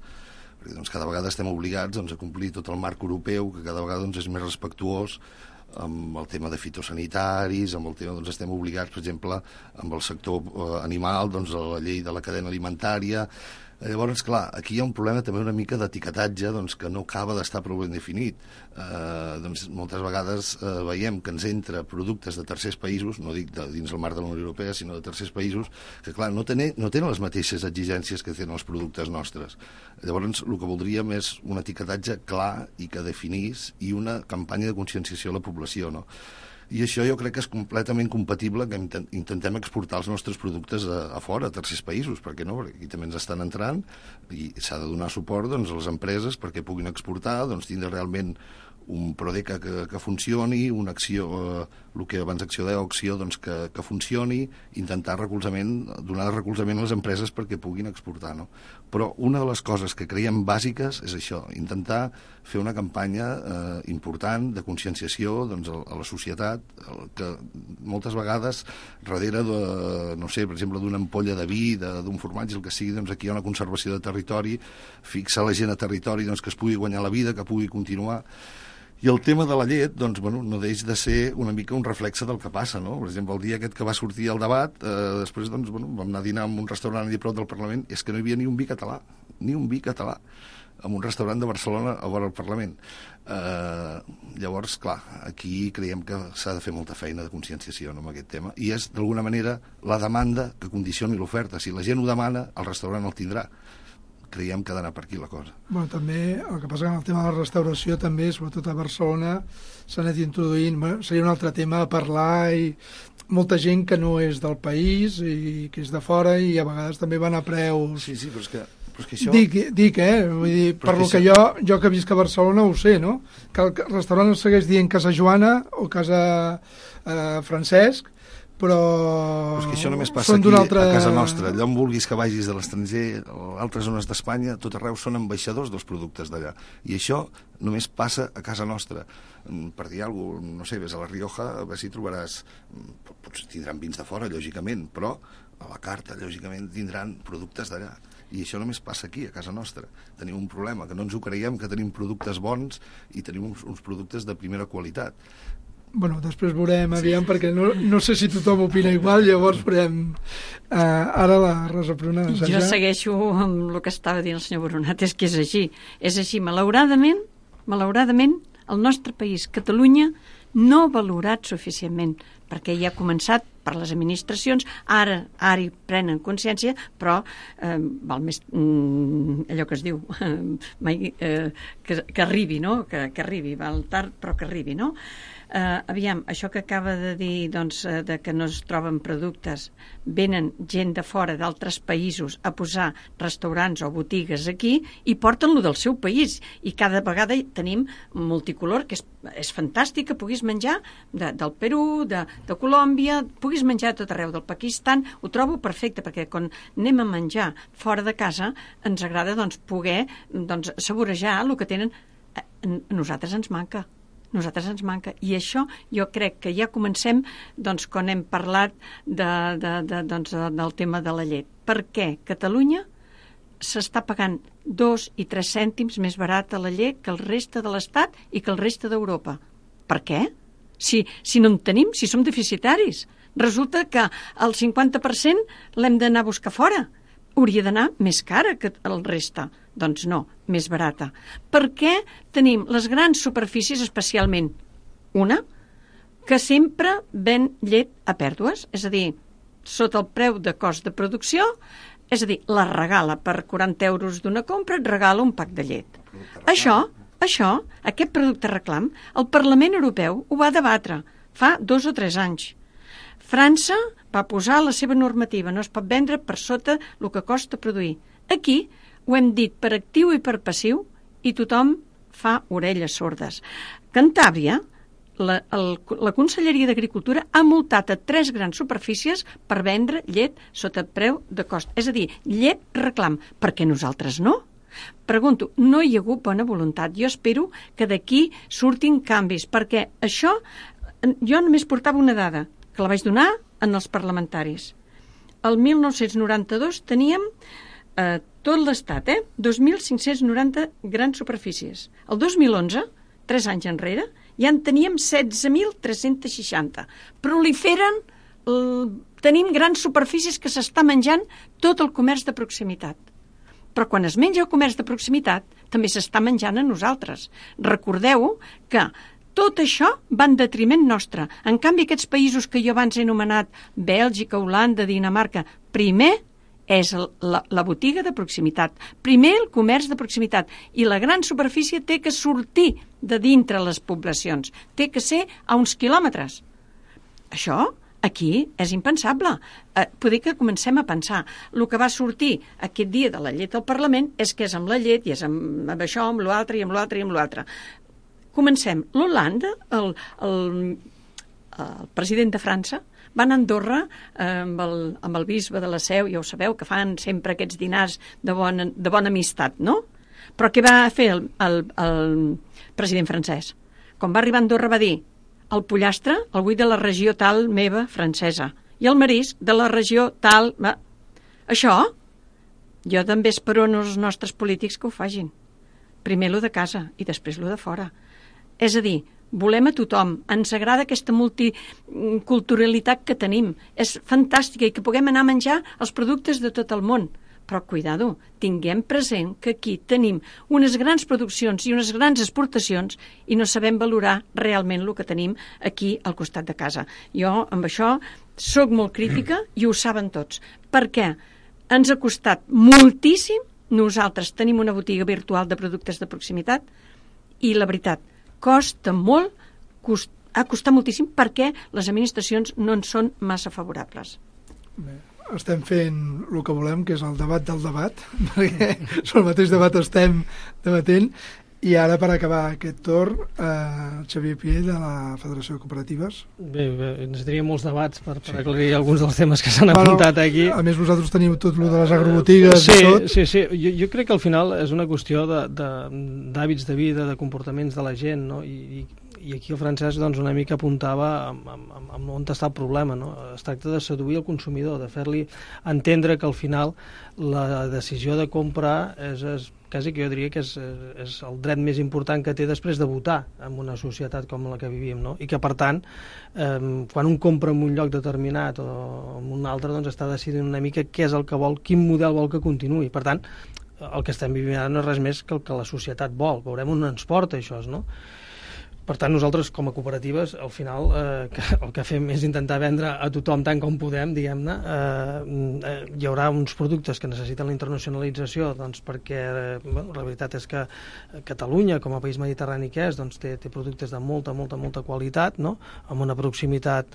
Perquè, doncs, cada vegada estem obligats, doncs, a complir tot el marc europeu, que cada vegada, doncs, és més respectuós amb el tema de fitosanitaris, amb el tema, doncs, estem obligats, per exemple, amb el sector animal, doncs, a la llei de la cadena alimentària. Llavors, clar, aquí hi ha un problema també una mica d'etiquetatge, doncs, que no acaba d'estar prou ben definit. Doncs, moltes vegades veiem que ens entra productes de tercers països, no dic dins el marc de la Unió Europea, sinó de tercers països, que, clar, no tenen les mateixes exigències que tenen els productes nostres. Llavors, el que voldríem és un etiquetatge clar i que definís, i una campanya de conscienciació a la població, no? I això jo crec que és completament compatible que intentem exportar els nostres productes a fora, a tercers països, perquè no? Perquè aquí també ens estan entrant i s'ha de donar suport, doncs, a les empreses perquè puguin exportar, doncs, tindre realment un Prodeca que funcioni, una acció, el que abans acció deia, acció, doncs, que funcioni, intentar donar recolzament a les empreses perquè puguin exportar, no? Però una de les coses que creiem bàsiques és això, intentar fer una campanya important de conscienciació, doncs, a la societat, que moltes vegades darrere de, no sé, per exemple, d'una ampolla de vi, d'un formatge, el que sigui, doncs aquí hi ha una conservació de territori, fixar la gent a territori, doncs, que es pugui guanyar la vida, que pugui continuar. I el tema de la llet, doncs, bueno, no deix de ser una mica un reflexe del que passa, no? Per exemple, el dia aquest que va sortir el debat, després, doncs, bueno, vam anar a dinar en un restaurant allà prop del Parlament, és que no hi havia ni un vi català, en un restaurant de Barcelona a vora el Parlament. Llavors, clar, aquí creiem que s'ha de fer molta feina de conscienciació, no, amb aquest tema, i és, d'alguna manera, la demanda que condicioni l'oferta. Si la gent ho demana, el restaurant el tindrà. Creiem que ha d'anar per aquí la cosa. Bueno, també, el que passa que en el tema de la restauració també, sobretot a Barcelona, s'ha anat introduint, seria un altre tema a parlar, i molta gent que no és del país i que és de fora, i a vegades també van a preus... Sí, però és que això... Dic, vull dir, per lo que jo que visc a Barcelona ho sé, no? Que el restaurant es segueix dient Casa Joana o Casa Francesc, però és que això només passa aquí a casa nostra. Allà on vulguis que vagis de l'estranger, a altres zones d'Espanya, tot arreu són ambaixadors dels productes d'allà. I això només passa a casa nostra. Per dir alguna cosa, no sé, ves a la Rioja, a veure si trobaràs... Potser tindran vins de fora, lògicament, però a la carta, lògicament, tindran productes d'allà. I això només passa aquí, a casa nostra. Tenim un problema, que no ens ho creiem, que tenim productes bons i tenim uns productes de primera qualitat. Bueno, després veurem, aviam, perquè no sé si tothom opina igual, llavors veurem ara la Rosa Pruna. Jo segueixo amb el que estava dient el senyor Boronat, és que és així. És així, malauradament, el nostre país, Catalunya, no valorat suficientment, perquè ja ha començat per les administracions, ara hi prenen consciència, però val més allò que es diu, que arribi, no? Que arribi, val tard, però que arribi, no? Aviam, això que acaba de dir, doncs, de que no es troben productes, venen gent de fora d'altres països a posar restaurants o botigues aquí i porten-lo del seu país, i cada vegada tenim multicolor, que és fantàstic que puguis menjar del Perú, de Colòmbia, puguis menjar a tot arreu, del Pakistan, ho trobo perfecte, perquè quan anem a menjar fora de casa ens agrada, doncs, poder, doncs, saborejar el que tenen. A nosaltres ens manca. I això jo crec que ja comencem, doncs, quan hem parlat del tema de la llet. Per què Catalunya s'està pagant 2 i 3 cèntims més barata la llet que el reste de l'Estat i que el reste d'Europa? Per què? si no en tenim, si som deficitaris? Resulta que el 50% l'hem d'anar a buscar fora. Hauria d'anar més cara que el resta. Doncs no, més barata. Per què tenim les grans superfícies, especialment una, que sempre ven llet a pèrdues? És a dir, sota el preu de cost de producció, és a dir, la regala per 40 euros d'una compra, et regala un pack de llet. Això, aquest producte reclam, el Parlament Europeu ho va debatre fa 2 o 3 anys. França va posar la seva normativa, no es pot vendre per sota el que costa produir. Aquí ho hem dit per actiu i per passiu i tothom fa orelles sordes. Cantàbria, la Conselleria d'Agricultura ha multat a 3 grans superfícies per vendre llet sota preu de cost. És a dir, llet reclam. Per què nosaltres no? Pregunto, no hi ha hagut bona voluntat. Jo espero que d'aquí surtin canvis, perquè això, jo només portava una dada, que la vaig donar en els parlamentaris. El 1992 teníem tot l'estat, 2.590 grans superfícies. El 2011, 3 anys enrere, ja en teníem 16.360. Proliferen, tenim grans superfícies que s'està menjant tot el comerç de proximitat. Però quan es menja el comerç de proximitat, també s'està menjant a nosaltres. Recordeu que tot això va en detriment nostre. En canvi, aquests països que jo abans he anomenat, Bèlgica, Holanda, Dinamarca, primer és la botiga de proximitat. Primer el comerç de proximitat. I la gran superfície té que sortir de dintre les poblacions. Té que ser a uns quilòmetres. Això aquí és impensable. Poder que comencem a pensar. El que va sortir aquest dia de la llet al Parlament és que és amb la llet i és amb això, amb l'altre i amb l'altre i amb l'altre. Comencem. L'Holanda, el president de França, va anar a Andorra amb el bisbe de la Seu, ja ho sabeu, que fan sempre aquests dinars de bona amistat, no? Però què va fer el president francès? Quan va arribar a Andorra va dir: el pollastre el vull de la regió tal meva francesa i el marisc de la regió tal... Això jo també espero en els nostres polítics que ho facin. Primer lo de casa i després lo de fora. És a dir, volem a tothom, ens agrada aquesta multiculturalitat que tenim, és fantàstica i que puguem anar a menjar els productes de tot el món. Però, cuidado, tinguem present que aquí tenim unes grans produccions i unes grans exportacions i no sabem valorar realment el que tenim aquí al costat de casa. Jo, amb això, sóc molt crítica i ho saben tots. Per què? Ens ha costat moltíssim. Nosaltres tenim una botiga virtual de productes de proximitat i, la veritat, costa molt, ha costat moltíssim perquè les administracions no en són massa favorables. Bé, estem fent el que volem, que és el debat del debat, perquè sobre el mateix debat estem debatent. I ara, per acabar aquest torn, Xavier Piell, de la Federació de Cooperatives. Bé, necessitaria molts debats per aclarir alguns dels temes que s'han apuntat aquí. A més, vosaltres teniu tot el de les agrobotigues i tot. Sí. Jo crec que al final és una qüestió d'hàbits de vida, de comportaments de la gent, no? I aquí el Francesc doncs, una mica apuntava amb on està el problema, no? Es tracta de seduir el consumidor, de fer-li entendre que al final la decisió de comprar és quasi que jo diria que és el dret més important que té després de votar en una societat com la que vivim, no? I que per tant quan un compra en un lloc determinat o en un altre, doncs està decidint una mica què és el que vol, quin model vol que continuï. Per tant, el que estem vivint ara no és res més que el que la societat vol. Veurem on ens porta això, no? Per tant, nosaltres, com a cooperatives, al final el que fem és intentar vendre a tothom tant com podem, diguem-ne. Hi haurà uns productes que necessiten la internacionalització, doncs, perquè la veritat és que Catalunya, com a país mediterrani que és, doncs, té productes de molta qualitat, no? Amb una proximitat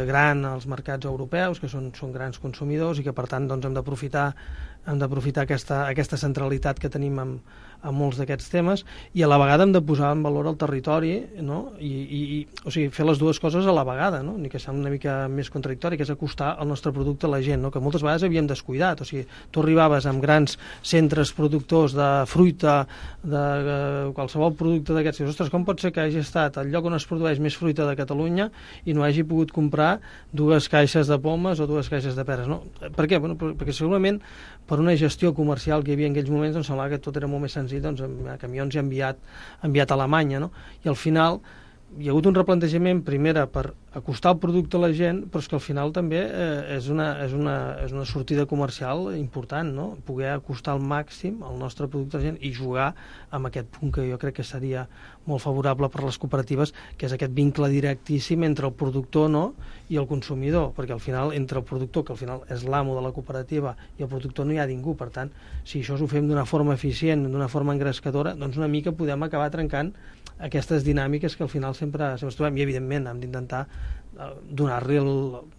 gran als mercats europeus, que són grans consumidors i que, per tant, doncs, hem d'aprofitar aquesta centralitat que tenim en molts d'aquests temes i a la vegada hem de posar en valor el territori, no? O sigui, fer les dues coses a la vegada, no? Ni que sembla una mica més contradictori, que és acostar el nostre producte a la gent, no? Que moltes vegades havíem descuidat. O sigui, tu arribaves amb grans centres productors de fruita, de qualsevol producte d'aquests, i ostres, com pot ser que hagi estat al lloc on es produeix més fruita de Catalunya i no hagi pogut comprar 2 caixes de pomes o 2 caixes de peres, no? Per què? Bueno, perquè segurament per una gestió comercial que hi havia en aquells moments doncs semblava que tot era molt més senzill, doncs amb camions i enviat a Alemanya, no? I al final hi ha hagut un replantejament, primera, per acostar el producte a la gent, però és que al final també és una sortida comercial important, no? Poder acostar al màxim el nostre producte a la gent i jugar amb aquest punt que jo crec que seria molt favorable per les cooperatives, que és aquest vincle directíssim entre el productor, no?, i el consumidor, perquè al final, entre el productor, que al final és l'amo de la cooperativa, i el productor no hi ha ningú. Per tant, si això ho fem d'una forma eficient, d'una forma engrescadora, doncs una mica podem acabar trencant aquestes dinàmiques que al final sempre ens trobem, i evidentment hem d'intentar donar-li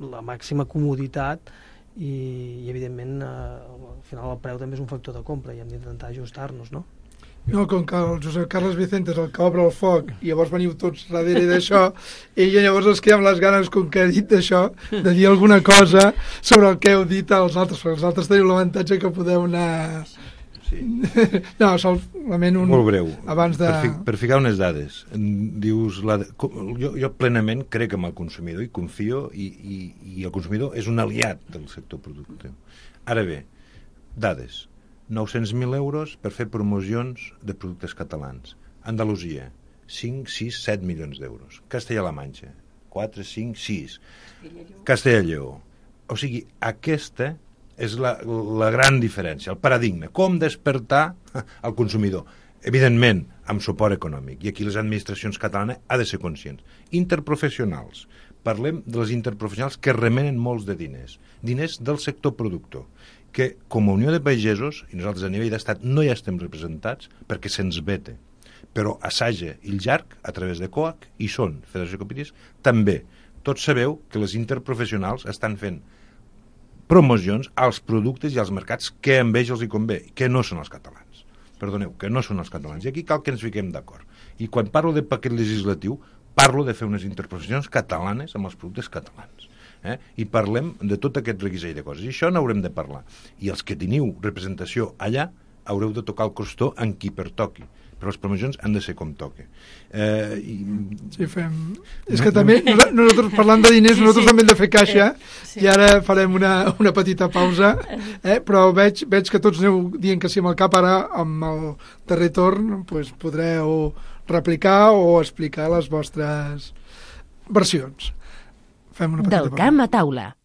la màxima comoditat i evidentment al final el preu també és un factor de compra i hem d'intentar ajustar-nos, no? No, com que el Josep Carles Vicente és el que obre el foc i llavors veniu tots darrere d'això, ell llavors es queda amb les ganes, com que ha dit d'això, de dir alguna cosa sobre el que heu dit als altres, perquè els altres teniu l'avantatge que podeu anar... Sí. No, solament un... Molt breu, abans de... per ficar unes dades. Dius, jo plenament crec en el consumidor i confio, i el consumidor és un aliat del sector productiu. Ara bé, dades. 900.000 euros per fer promocions de productes catalans. Andalusia, 5, 6, 7 milions d'euros. Castella-La Manxa, 4, 5, 6. Castella-Lleó. O sigui, aquesta és la gran diferència, el paradigma. Com despertar el consumidor? Evidentment, amb suport econòmic. I aquí les administracions catalanes ha de ser conscients. Interprofessionals. Parlem de les interprofessionals que remenen molts de diners. Diners del sector productor, que com a Unió de Pagesos, i nosaltres a nivell d'estat no hi estem representats perquè se'ns vete, però a Saja i el Llarg, a través de COAC, hi són, Federació de Cooperatives, també. Tots sabeu que les interprofessionals estan fent promocions als productes i als mercats que a ells els hi convé, que no són els catalans. Perdoneu, que no són els catalans. I aquí cal que ens fiquem d'acord. I quan parlo de paquet legislatiu, parlo de fer unes interprofessions catalanes amb els productes catalans. I parlem de tot aquest reguitzell de coses. I això n'haurem de parlar. I els que teniu representació allà haureu de tocar el costó en qui pertoqui. Però les promocions han de ser com toque. Sí, fem... És que també, nosaltres parlant de diners, nosaltres també hem de fer caixa, i ara farem una petita pausa, però veig que tots aneu dient que sí amb el cap. Ara, amb el darrer torn, doncs podreu replicar o explicar les vostres versions. Del camp a taula.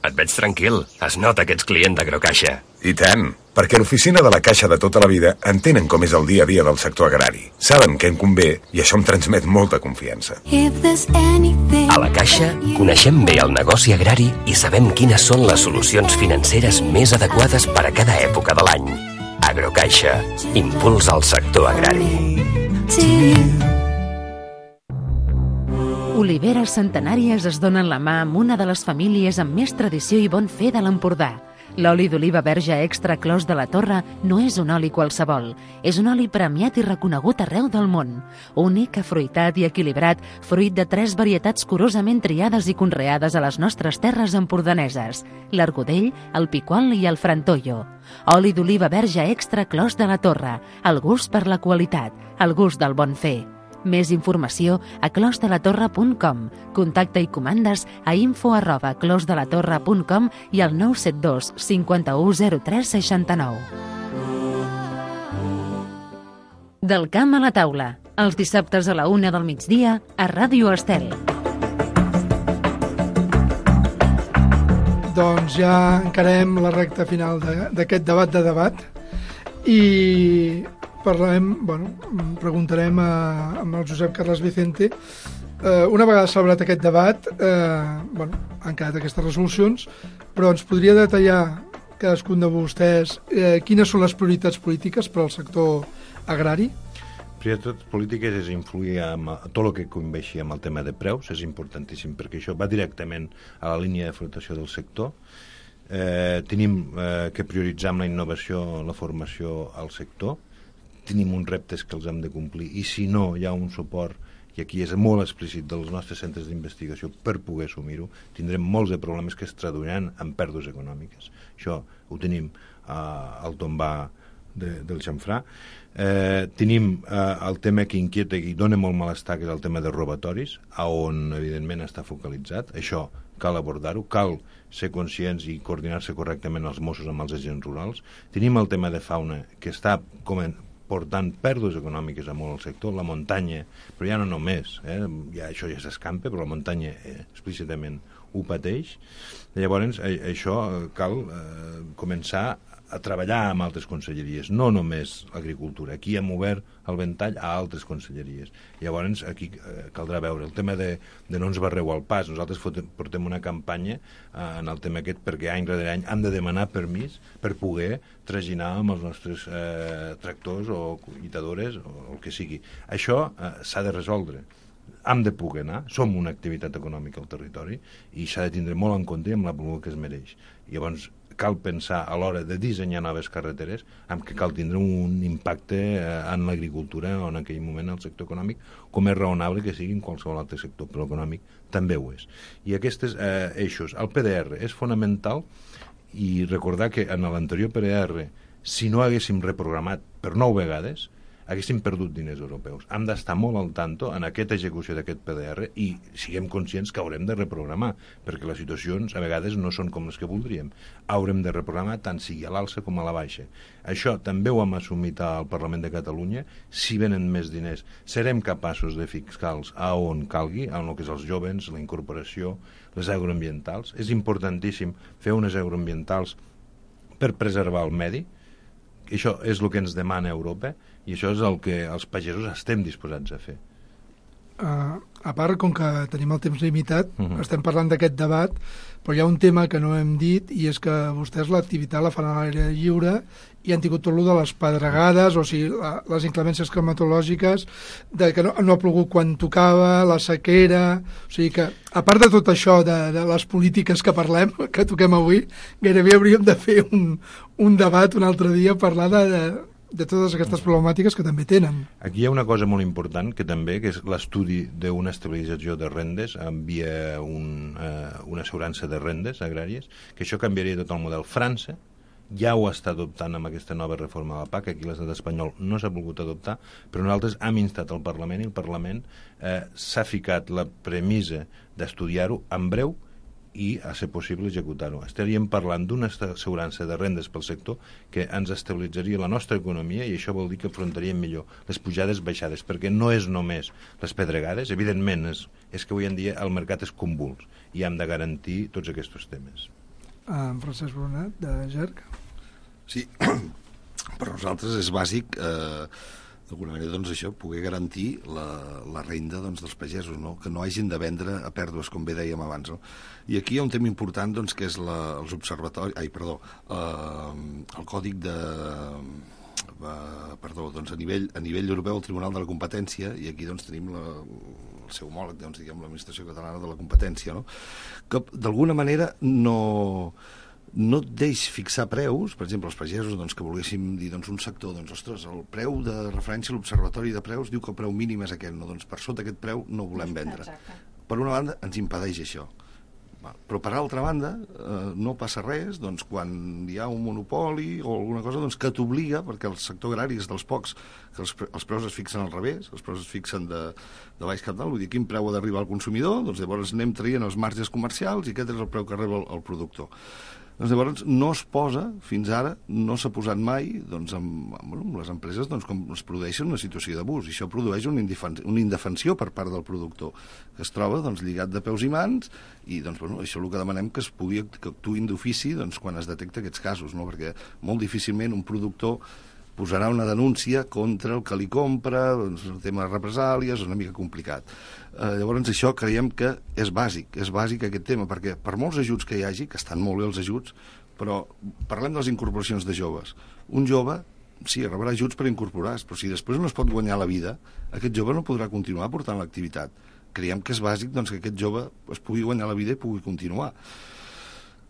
Et veig tranquil. Es nota que ets client d'Agrocaixa. I tant, perquè l'oficina de la Caixa de tota la vida entenen com és el dia a dia del sector agrari. Saben què em convé i això em transmet molta confiança. A la Caixa coneixem bé el negoci agrari i sabem quines són les solucions financeres més adequades per a cada època de l'any. Agrocaixa, impulsa el sector agrari. Oliveres centenàries es donen la mà amb una de les famílies amb més tradició i bon fer de l'Empordà. L'oli d'oliva verge extra Clos de la Torre no és un oli qualsevol. És un oli premiat i reconegut arreu del món. Únic, afruitat i equilibrat, fruit de 3 varietats curosament triades i conreades a les nostres terres empordaneses: l'argudell, el piquol i el frantollo. Oli d'oliva verge extra Clos de la Torre. El gust per la qualitat, el gust del bon fer. Més informació a closdelatorre.com. Contacte i comandes a info@closdelatorre.com i al 972 51 03 69. Del camp a la taula, els dissabtes a la 1 del migdia a Ràdio Estel. Doncs ja encarem la recta final d'aquest debat i preguntarem amb el Josep Carles Vicente. Una vegada celebrat aquest debat, han quedat aquestes resolucions, però ens podria detallar cadascun de vostès quines són les prioritats polítiques per al sector agrari? Prioritats polítiques és influir en tot el que conveixi amb el tema de preus, és importantíssim, perquè això va directament a la línia de flotació del sector. Tenim que prioritzar amb la innovació, la formació al sector. Tenim uns reptes que els hem de complir i si no hi ha un suport, i aquí és molt explícit, dels nostres centres d'investigació per poder assumir-ho, tindrem molts de problemes que es traduiran en pèrdues econòmiques. Això ho tenim al tombar del xamfrà. Tenim el tema que inquieta i dona molt malestar, que és el tema de robatoris, on evidentment està focalitzat. Això cal abordar-ho, cal ser conscients i coordinar-se correctament els Mossos amb els agents rurals. Tenim el tema de fauna, que està portant pèrdues econòmiques a molt al sector, la muntanya, però ja no només, això ja s'escampa, però la muntanya explícitament ho pateix. Llavors, això cal començar a treballar amb altres conselleries, no només agricultura. Aquí hem obert el ventall a altres conselleries. Llavors, aquí caldrà veure el tema de no ens barreu al pas. Nosaltres portem una campanya en el tema aquest perquè any rere any hem de demanar permís per poder traginar amb els nostres tractors o collitadores o el que sigui. Això s'ha de resoldre. Hem de poder anar, som una activitat econòmica al territori i s'ha de tindre molt en compte amb la volum que es mereix. Llavors, cal pensar a l'hora de dissenyar noves carreteres amb que cal tindre un impacte en l'agricultura o en aquell moment el sector econòmic, com és raonable que sigui en qualsevol altre sector, però econòmic també ho és. I aquests eixos, el PDR és fonamental, i recordar que en l'anterior PDR, si no haguéssim reprogramat per 9 vegades, haguéssim perdut diners europeus. Hem d'estar molt al tanto en aquesta execució d'aquest PDR i siguem conscients que haurem de reprogramar, perquè les situacions a vegades no són com les que voldríem. Haurem de reprogramar tant sigui a l'alça com a la baixa. Això també ho hem assumit al Parlament de Catalunya. Si venen més diners, serem capaços de fixar-los a on calgui, en el que és els joves, la incorporació, les agroambientals. És importantíssim fer unes agroambientals per preservar el medi. Això és el que ens demana Europa i això és el que els pagesos estem disposats a fer. A part, com que tenim el temps limitat, estem parlant d'aquest debat, però hi ha un tema que no hem dit i és que vostès l'activitat la fan a l'aire lliure i han tingut tot el de les pedregades, o sigui, les inclemències climatològiques, de que no ha plogut quan tocava, la sequera... O sigui que, a part de tot això, de les polítiques que parlem, que toquem avui, gairebé hauríem de fer un debat un altre dia, parlar de totes aquestes problemàtiques que també tenen. Aquí hi ha una cosa molt important que també, que és l'estudi d'una estabilització de rendes via una assegurança de rendes agràries, que això canviaria tot el model. França ja ho està adoptant amb aquesta nova reforma de la PAC, aquí l'estat espanyol no s'ha volgut adoptar, però nosaltres hem instat al Parlament i el Parlament s'ha ficat la premissa d'estudiar-ho en breu i, a ser possible, executar-ho. Estaríem parlant d'una assegurança de rendes pel sector que ens estabilitzaria la nostra economia i això vol dir que afrontaríem millor les pujades baixades, perquè no és només les pedregades, evidentment és que avui en dia el mercat és convuls i hem de garantir tots aquests temes. En Francesc Brunat, de GERC. Sí, per nosaltres és bàsic d'alguna manera, doncs, això, poder garantir la renda dels pagesos, no? Que no hagin de vendre a pèrdues, com bé dèiem abans. No? I aquí hi ha un tema important, doncs, que és els observatoris... el còdic de... doncs, a nivell europeu, el Tribunal de la Competència, i aquí doncs, tenim el seu homòleg, doncs, diguem, l'Administració Catalana de la Competència, no? Que d'alguna manera no et deix fixar preus, per exemple, els pagesos doncs, que volguéssim dir doncs, un sector, doncs, ostres, el preu de referència a l'Observatori de Preus diu que el preu mínim és aquest, no? Doncs per sota aquest preu no volem vendre. Exacte. Per una banda, ens impedeix això. Però per altra banda, no passa res doncs, quan hi ha un monopoli o alguna cosa doncs, que t'obliga, perquè el sector agrari és dels pocs que els preus es fixen al revés, els preus es fixen de baix cap dalt, vull dir, quin preu ha d'arribar al consumidor, doncs llavors anem traient els marges comercials i aquest és el preu que rep el productor. Doncs llavors no es posa, fins ara, no s'ha posat mai doncs, amb les empreses doncs, com es produeixen una situació d'abús, i això produeix una indefensió per part del productor, que es troba doncs, lligat de peus i mans, i doncs, això és el que demanem que actuïn d'ofici doncs, quan es detecta aquests casos, no? Perquè molt difícilment un productor posarà una denúncia contra el que li compra, doncs, el tema de represàlies és una mica complicat. Llavors això creiem que és bàsic aquest tema, perquè per molts ajuts que hi hagi, que estan molt bé els ajuts, però parlem de les incorporacions de joves. Un jove, sí, rebrà ajuts per incorporar-se, però si després no es pot guanyar la vida, aquest jove no podrà continuar portant l'activitat. Creiem que és bàsic doncs, que aquest jove es pugui guanyar la vida i pugui continuar.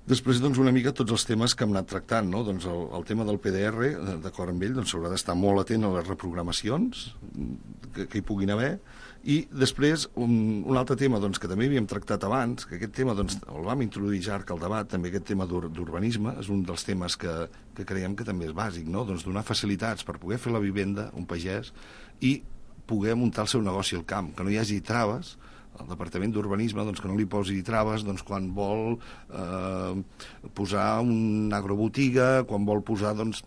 Després, doncs, una mica tots els temes que hem anat tractant, no? Doncs el tema del PDR, d'acord amb ell, doncs s'haurà d'estar molt atent a les reprogramacions que hi puguin haver, i després un altre tema doncs, que també havíem tractat abans, que aquest tema doncs, el vam introduir ja al debat, també aquest tema d'urbanisme, és un dels temes que creiem que també és bàsic, no? Doncs donar facilitats per poder fer la vivenda, un pagès, i poder muntar el seu negoci al camp, que no hi hagi traves el Departament d'Urbanisme doncs, que no li posi traves doncs, quan vol posar una agrobotiga, quan vol posar... Doncs,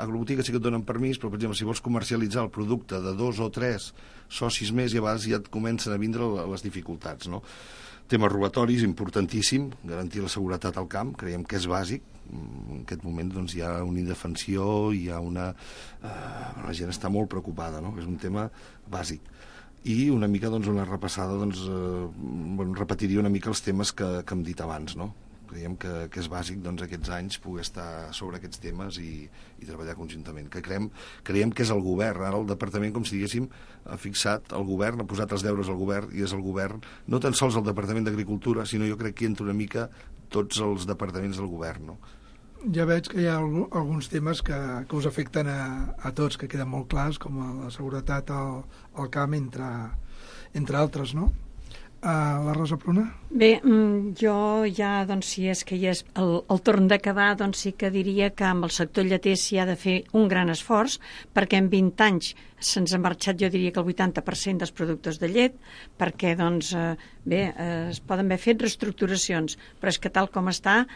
agrobotiga sí que et donen permís, però, per exemple, si vols comercialitzar el producte de 2 o 3 socis més, i a vegades ja et comencen a vindre les dificultats, no? Temes robatoris, importantíssim, garantir la seguretat al camp, creiem que és bàsic. En aquest moment doncs, hi ha una indefensió, hi ha una... la gent està molt preocupada, no? És un tema bàsic. I una mica doncs, una repassada, doncs, repetiria una mica els temes que hem dit abans, no? Creiem que és bàsic doncs, aquests anys poder estar sobre aquests temes i treballar conjuntament. Que creiem que és el govern. Ara el departament, com si diguéssim, ha fixat el govern, ha posat els deures al govern, i és el govern, no tan sols el Departament d'Agricultura, sinó jo crec que hi entra una mica tots els departaments del govern, no? Ja veig que hi ha alguns temes que us afecten a tots, que queden molt clars, com la seguretat al camp, entre altres, no? La Rosa Pruna? Bé, jo ja, doncs, si és que ja és el torn d'acabar, doncs sí que diria que amb el sector lleter s'hi ha de fer un gran esforç, perquè en 20 anys se'ns ha marxat, jo diria que el 80% dels productors de llet, perquè, doncs, es poden haver fet reestructuracions, però és que tal com està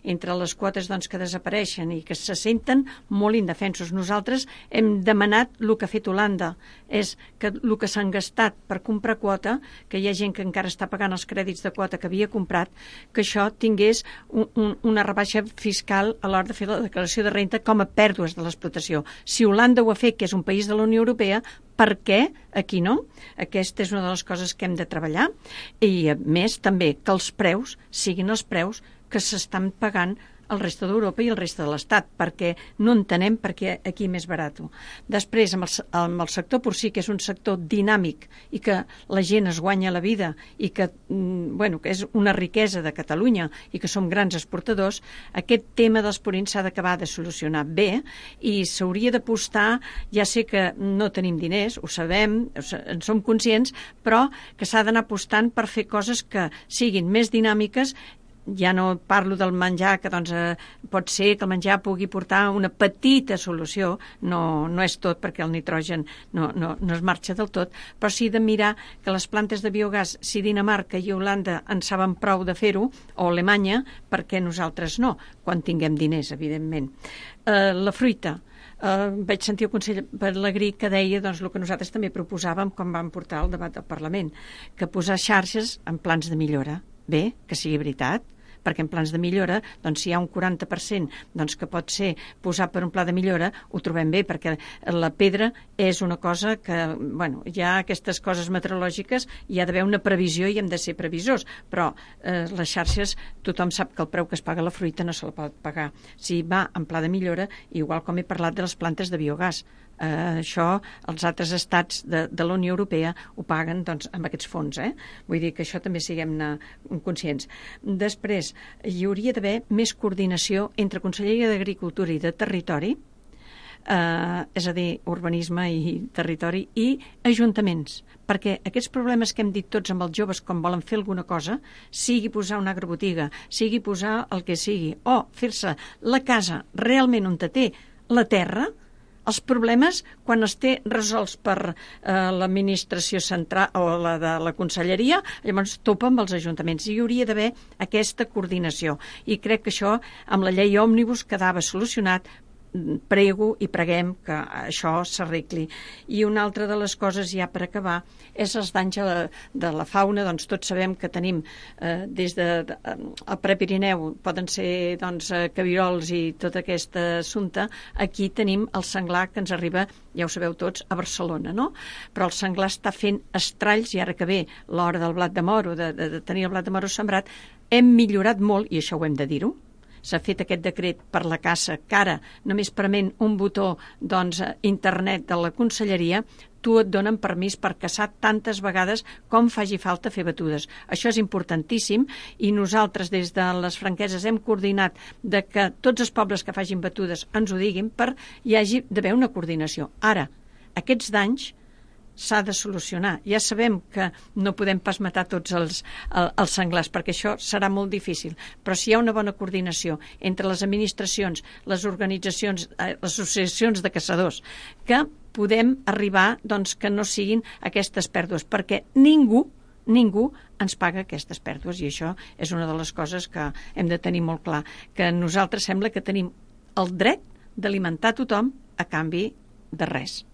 entre les quotes doncs, que desapareixen i que se senten molt indefensos. Nosaltres hem demanat el que ha fet Holanda, és que el que s'han gastat per comprar quota, que hi ha gent que encara està pagant els crèdits de quota que havia comprat, que això tingués una rebaixa fiscal a l'hora de fer la declaració de renda com a pèrdues de l'explotació. Si Holanda ho ha fet, que és un país de la Unió Europea, per què aquí no? Aquesta és una de les coses que hem de treballar, i a més també que els preus siguin els preus que s'estan pagant al resta d'Europa i al resta de l'Estat, perquè no entenem per què aquí més barat. Després, amb el sector porcí, que és un sector dinàmic i que la gent es guanya la vida i que, que és una riquesa de Catalunya i que som grans exportadors, aquest tema dels purins s'ha d'acabar de solucionar bé i s'hauria d'apostar, ja sé que no tenim diners, ho sabem, en som conscients, però que s'ha d'anar apostant per fer coses que siguin més dinàmiques. Ja no parlo del menjar, que doncs, pot ser que el menjar pugui portar una petita solució, no és tot, perquè el nitrogen no es marxa del tot, però sí de mirar que les plantes de biogàs, si Dinamarca i Holanda en saben prou de fer-ho, o Alemanya, perquè nosaltres no, quan tinguem diners, evidentment. La fruita. Vaig sentir el conseller Pelegrí que deia doncs, el que nosaltres també proposàvem quan vam portar el debat al Parlament, que posar xarxes en plans de millora. Bé, que sigui veritat, perquè en plans de millora, doncs, si hi ha un 40% doncs, que pot ser posar per un pla de millora, ho trobem bé, perquè la pedra és una cosa que, hi ha aquestes coses meteorològiques, hi ha d'haver una previsió i hem de ser previsors, però les xarxes, tothom sap que el preu que es paga la fruita no se la pot pagar. Si va en pla de millora, igual com he parlat de les plantes de biogàs, això els altres estats de la Unió Europea ho paguen doncs, amb aquests fons. Vull dir que això també siguem-ne conscients. Després, hi hauria d'haver més coordinació entre Conselleria d'Agricultura i de Territori, és a dir, urbanisme i territori, i ajuntaments, perquè aquests problemes que hem dit tots amb els joves quan volen fer alguna cosa, sigui posar una agrobotiga, sigui posar el que sigui, o fer-se la casa realment on té la terra, els problemes, quan els té resolts per l'administració central o la de la conselleria, llavors topa amb els ajuntaments. Hi hauria d'haver aquesta coordinació. I crec que això, amb la llei òmnibus, quedava solucionat. Prego i preguem que això s'arregli. I una altra de les coses, ja per acabar, és els danys de la fauna. Doncs tots sabem que tenim des del Prepirineu, poden ser doncs, cabirols i tot aquest assumpte. Aquí tenim el senglar que ens arriba, ja ho sabeu tots, a Barcelona, no? Però el senglar està fent estralls, i ara que ve l'hora del blat de moro, de tenir el blat de moro sembrat, hem millorat molt, i això ho hem de dir-ho. S'ha fet aquest decret per la caça, que ara, només prement un botó internet de la conselleria, tu et donen permís per caçar tantes vegades com faci falta fer batudes. Això és importantíssim, i nosaltres des de les franqueses hem coordinat de que tots els pobles que facin batudes ens ho diguin, per hi hagi d'haver una coordinació. Ara, aquests danys s'ha de solucionar. Ja sabem que no podem pas matar tots els senglars, perquè això serà molt difícil, però si hi ha una bona coordinació entre les administracions, les organitzacions, les associacions de caçadors, que podem arribar doncs, que no siguin aquestes pèrdues, perquè ningú ningú ens paga aquestes pèrdues, i això és una de les coses que hem de tenir molt clar, que nosaltres sembla que tenim el dret d'alimentar tothom a canvi de res.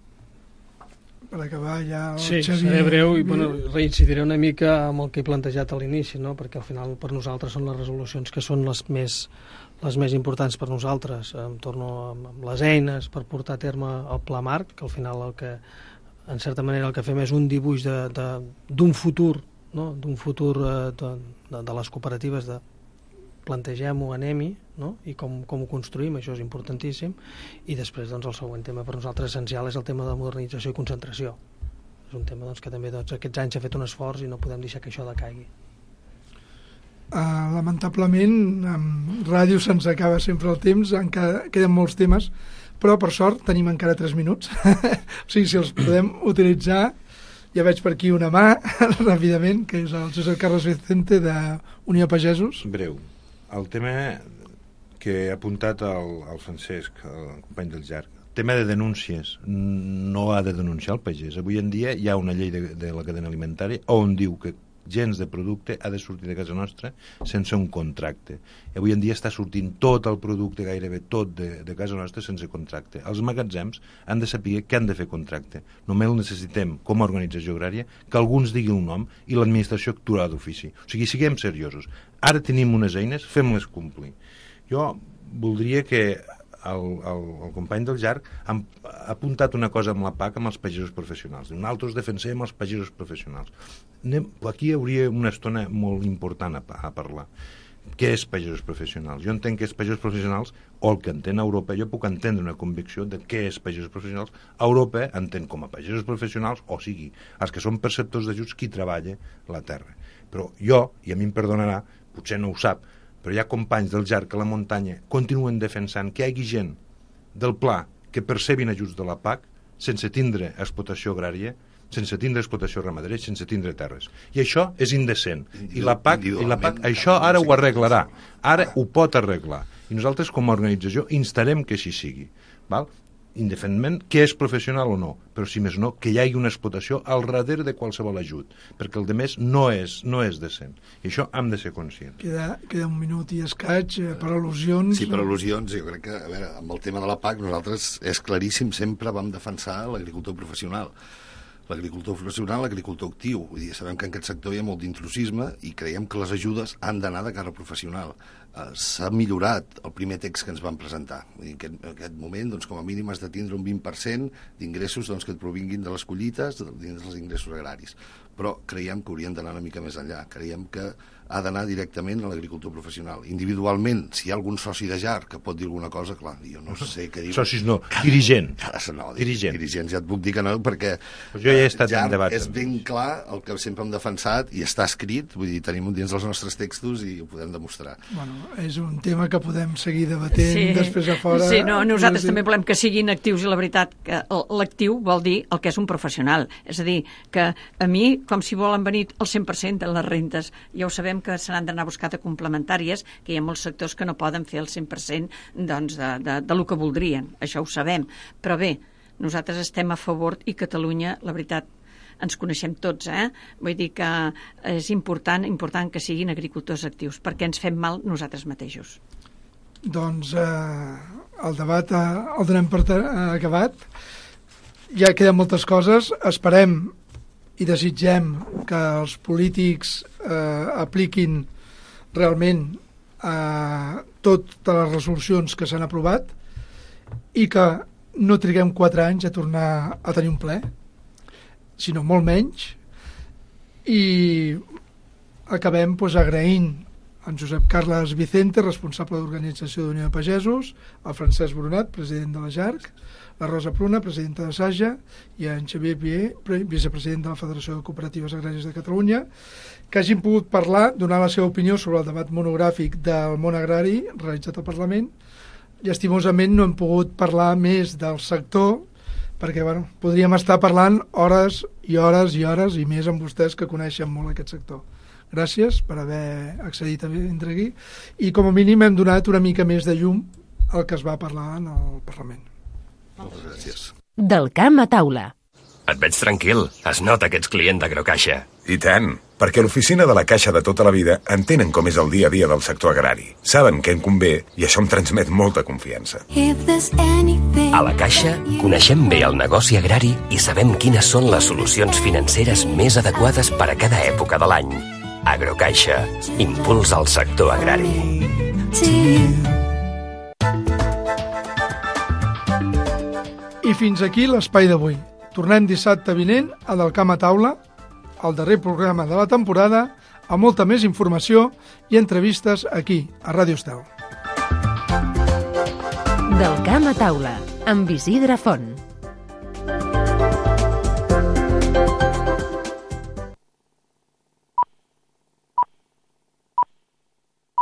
Per acabar ja el Sí, Xavi... seré breu i reincidiré una mica amb el que he plantejat a l'inici, no? Perquè al final per nosaltres són les resolucions que són les més importants per nosaltres. Em torno amb les eines per portar a terme el pla marc, que al final en certa manera el que fem és un dibuix d'un futur, no? D'un futur de les cooperatives, de plantegem-ho, anem-hi, no? I com ho construïm, això és importantíssim. I després doncs, el següent tema per nosaltres essencial és el tema de modernització i concentració. És un tema que també aquests anys s'ha fet un esforç i no podem deixar que això decaigui. Lamentablement, amb ràdio se'ns acaba sempre el temps, queden molts temes, però per sort tenim encara 3 minuts. O sigui, si els podem utilitzar, ja veig per aquí una mà, ràpidament, que és el Josep Carles Vicente d'Unió Pagesos. Breu. El tema que ha apuntat el Francesc, el company del Llarg, el tema de denúncies, no ha de denunciar el pagès. Avui en dia hi ha una llei de la cadena alimentària on diu que gens de producte ha de sortir de casa nostra sense un contracte. I avui en dia està sortint tot el producte, gairebé tot de casa nostra sense contracte. Els magatzems han de saber que han de fer contracte. Només necessitem, com a organització agrària, que alguns diguin un nom i l'administració actuarà d'ofici. O sigui, siguem seriosos. Ara tenim unes eines, fem-les complir. Jo voldria que el company del Llarg ha apuntat una cosa amb la PAC amb els pagesos professionals. Nosaltres defensem els pagesos professionals. Aquí hi hauria una estona molt important a parlar. Què és pagesos professionals? Jo entenc que és pagesos professionals, o el que entén Europa, jo puc entendre una convicció de què és pagesos professionals. Europa entén com a pagesos professionals, o sigui, els que són perceptors d'ajuts, qui treballa la terra. Però jo, i a mi em perdonarà, potser no ho sap, però hi ha companys del Llarg a la muntanya continuen defensant que hi hagi gent del pla que percebin ajuts de la PAC sense tindre explotació agrària, sense tindre explotació ramadera, sense tindre terres. I això és indecent. I la PAC això ara ho arreglarà. Ara ho pot arreglar. I nosaltres, com a organització, instarem que així sigui. Val? Independentment què és professional o no, però si més no, que hi hagi una explotació al darrere de qualsevol ajut, perquè el de més no és decent. I això hem de ser conscients. Queda un minut i escaig per al·lusions. Sí, per al·lusions. Jo crec que, a veure, amb el tema de la PAC, nosaltres és claríssim, sempre vam defensar l'agricultor professional. L'agricultor professional, l'agricultor actiu. Vull dir, sabem que en aquest sector hi ha molt d'intrusisme i creiem que les ajudes han d'anar de cara professional. S'ha millorat el primer text que ens van presentar. En aquest moment, doncs, com a mínim, has de tindre un 20% d'ingressos que et provinguin de les collites, dins dels ingressos agraris. Però creiem que haurien d'anar una mica més enllà. Creiem que ha d'anar directament a l'agricultor professional. Individualment, si hi ha algun soci de Llarg que pot dir alguna cosa, clar, jo no sé què dir. Socis no, dirigent. Dirigent, ja et puc dir que no, perquè jo ja he estat en debat. És ben clar el que sempre hem defensat i està escrit, vull dir, tenim dins dels nostres textos i ho podem demostrar. Bueno, és un tema que podem seguir debatent després a fora. Sí, no, nosaltres també volem que siguin actius i la veritat que l'actiu vol dir el que és un professional. És a dir, que a mi, com si volen venir el 100% de les rentes, ja ho sabem que se n'han d'anar a buscar de complementàries, que hi ha molts sectors que no poden fer el 100% doncs, de lo que voldrien, això ho sabem. Però bé, nosaltres estem a favor i Catalunya, la veritat, ens coneixem tots, Vull dir que és important que siguin agricultors actius, perquè ens fem mal nosaltres mateixos. Doncs el debat el donem per acabat. Ja queden moltes coses. Esperem i desitgem que els polítics apliquin realment totes les resolucions que s'han aprovat i que no triguem 4 anys a tornar a tenir un ple, sinó molt menys, i acabem agraint en Josep Carles Vicente, responsable d'Organització d'Unió de Pagesos, el Francesc Brunat, president de la Llarg, la Rosa Pruna, presidenta de Saja, i en Xavier Pier, vicepresident de la Federació de Cooperatives Agràries de Catalunya, que hagin pogut parlar, donar la seva opinió sobre el debat monogràfic del món agrari realitzat al Parlament. Llastimosament no hem pogut parlar més del sector, perquè podríem estar parlant hores i hores i hores, i més amb vostès que coneixen molt aquest sector. Gràcies per haver accedit a vindre aquí, i com a mínim hem donat una mica més de llum al que es va parlar en el Parlament. Moltes gràcies. Del camp a taula. Et veig tranquil. Es nota que ets client d'Agrocaixa. I tant, perquè l'oficina de la Caixa de tota la vida entenen com és el dia a dia del sector agrari. Saben què en convé i això em transmet molta confiança. A la Caixa coneixem bé el negoci agrari i sabem quines són les solucions financeres més adequades per a cada època de l'any. Agrocaixa, impuls al sector agrari. I fins aquí l'espai d'avui. Tornem dissabte vinent a Del Camp a Taula, el darrer programa de la temporada, amb molta més informació i entrevistes aquí, a Ràdio Estel. Del Camp a Taula, amb Isidre Font.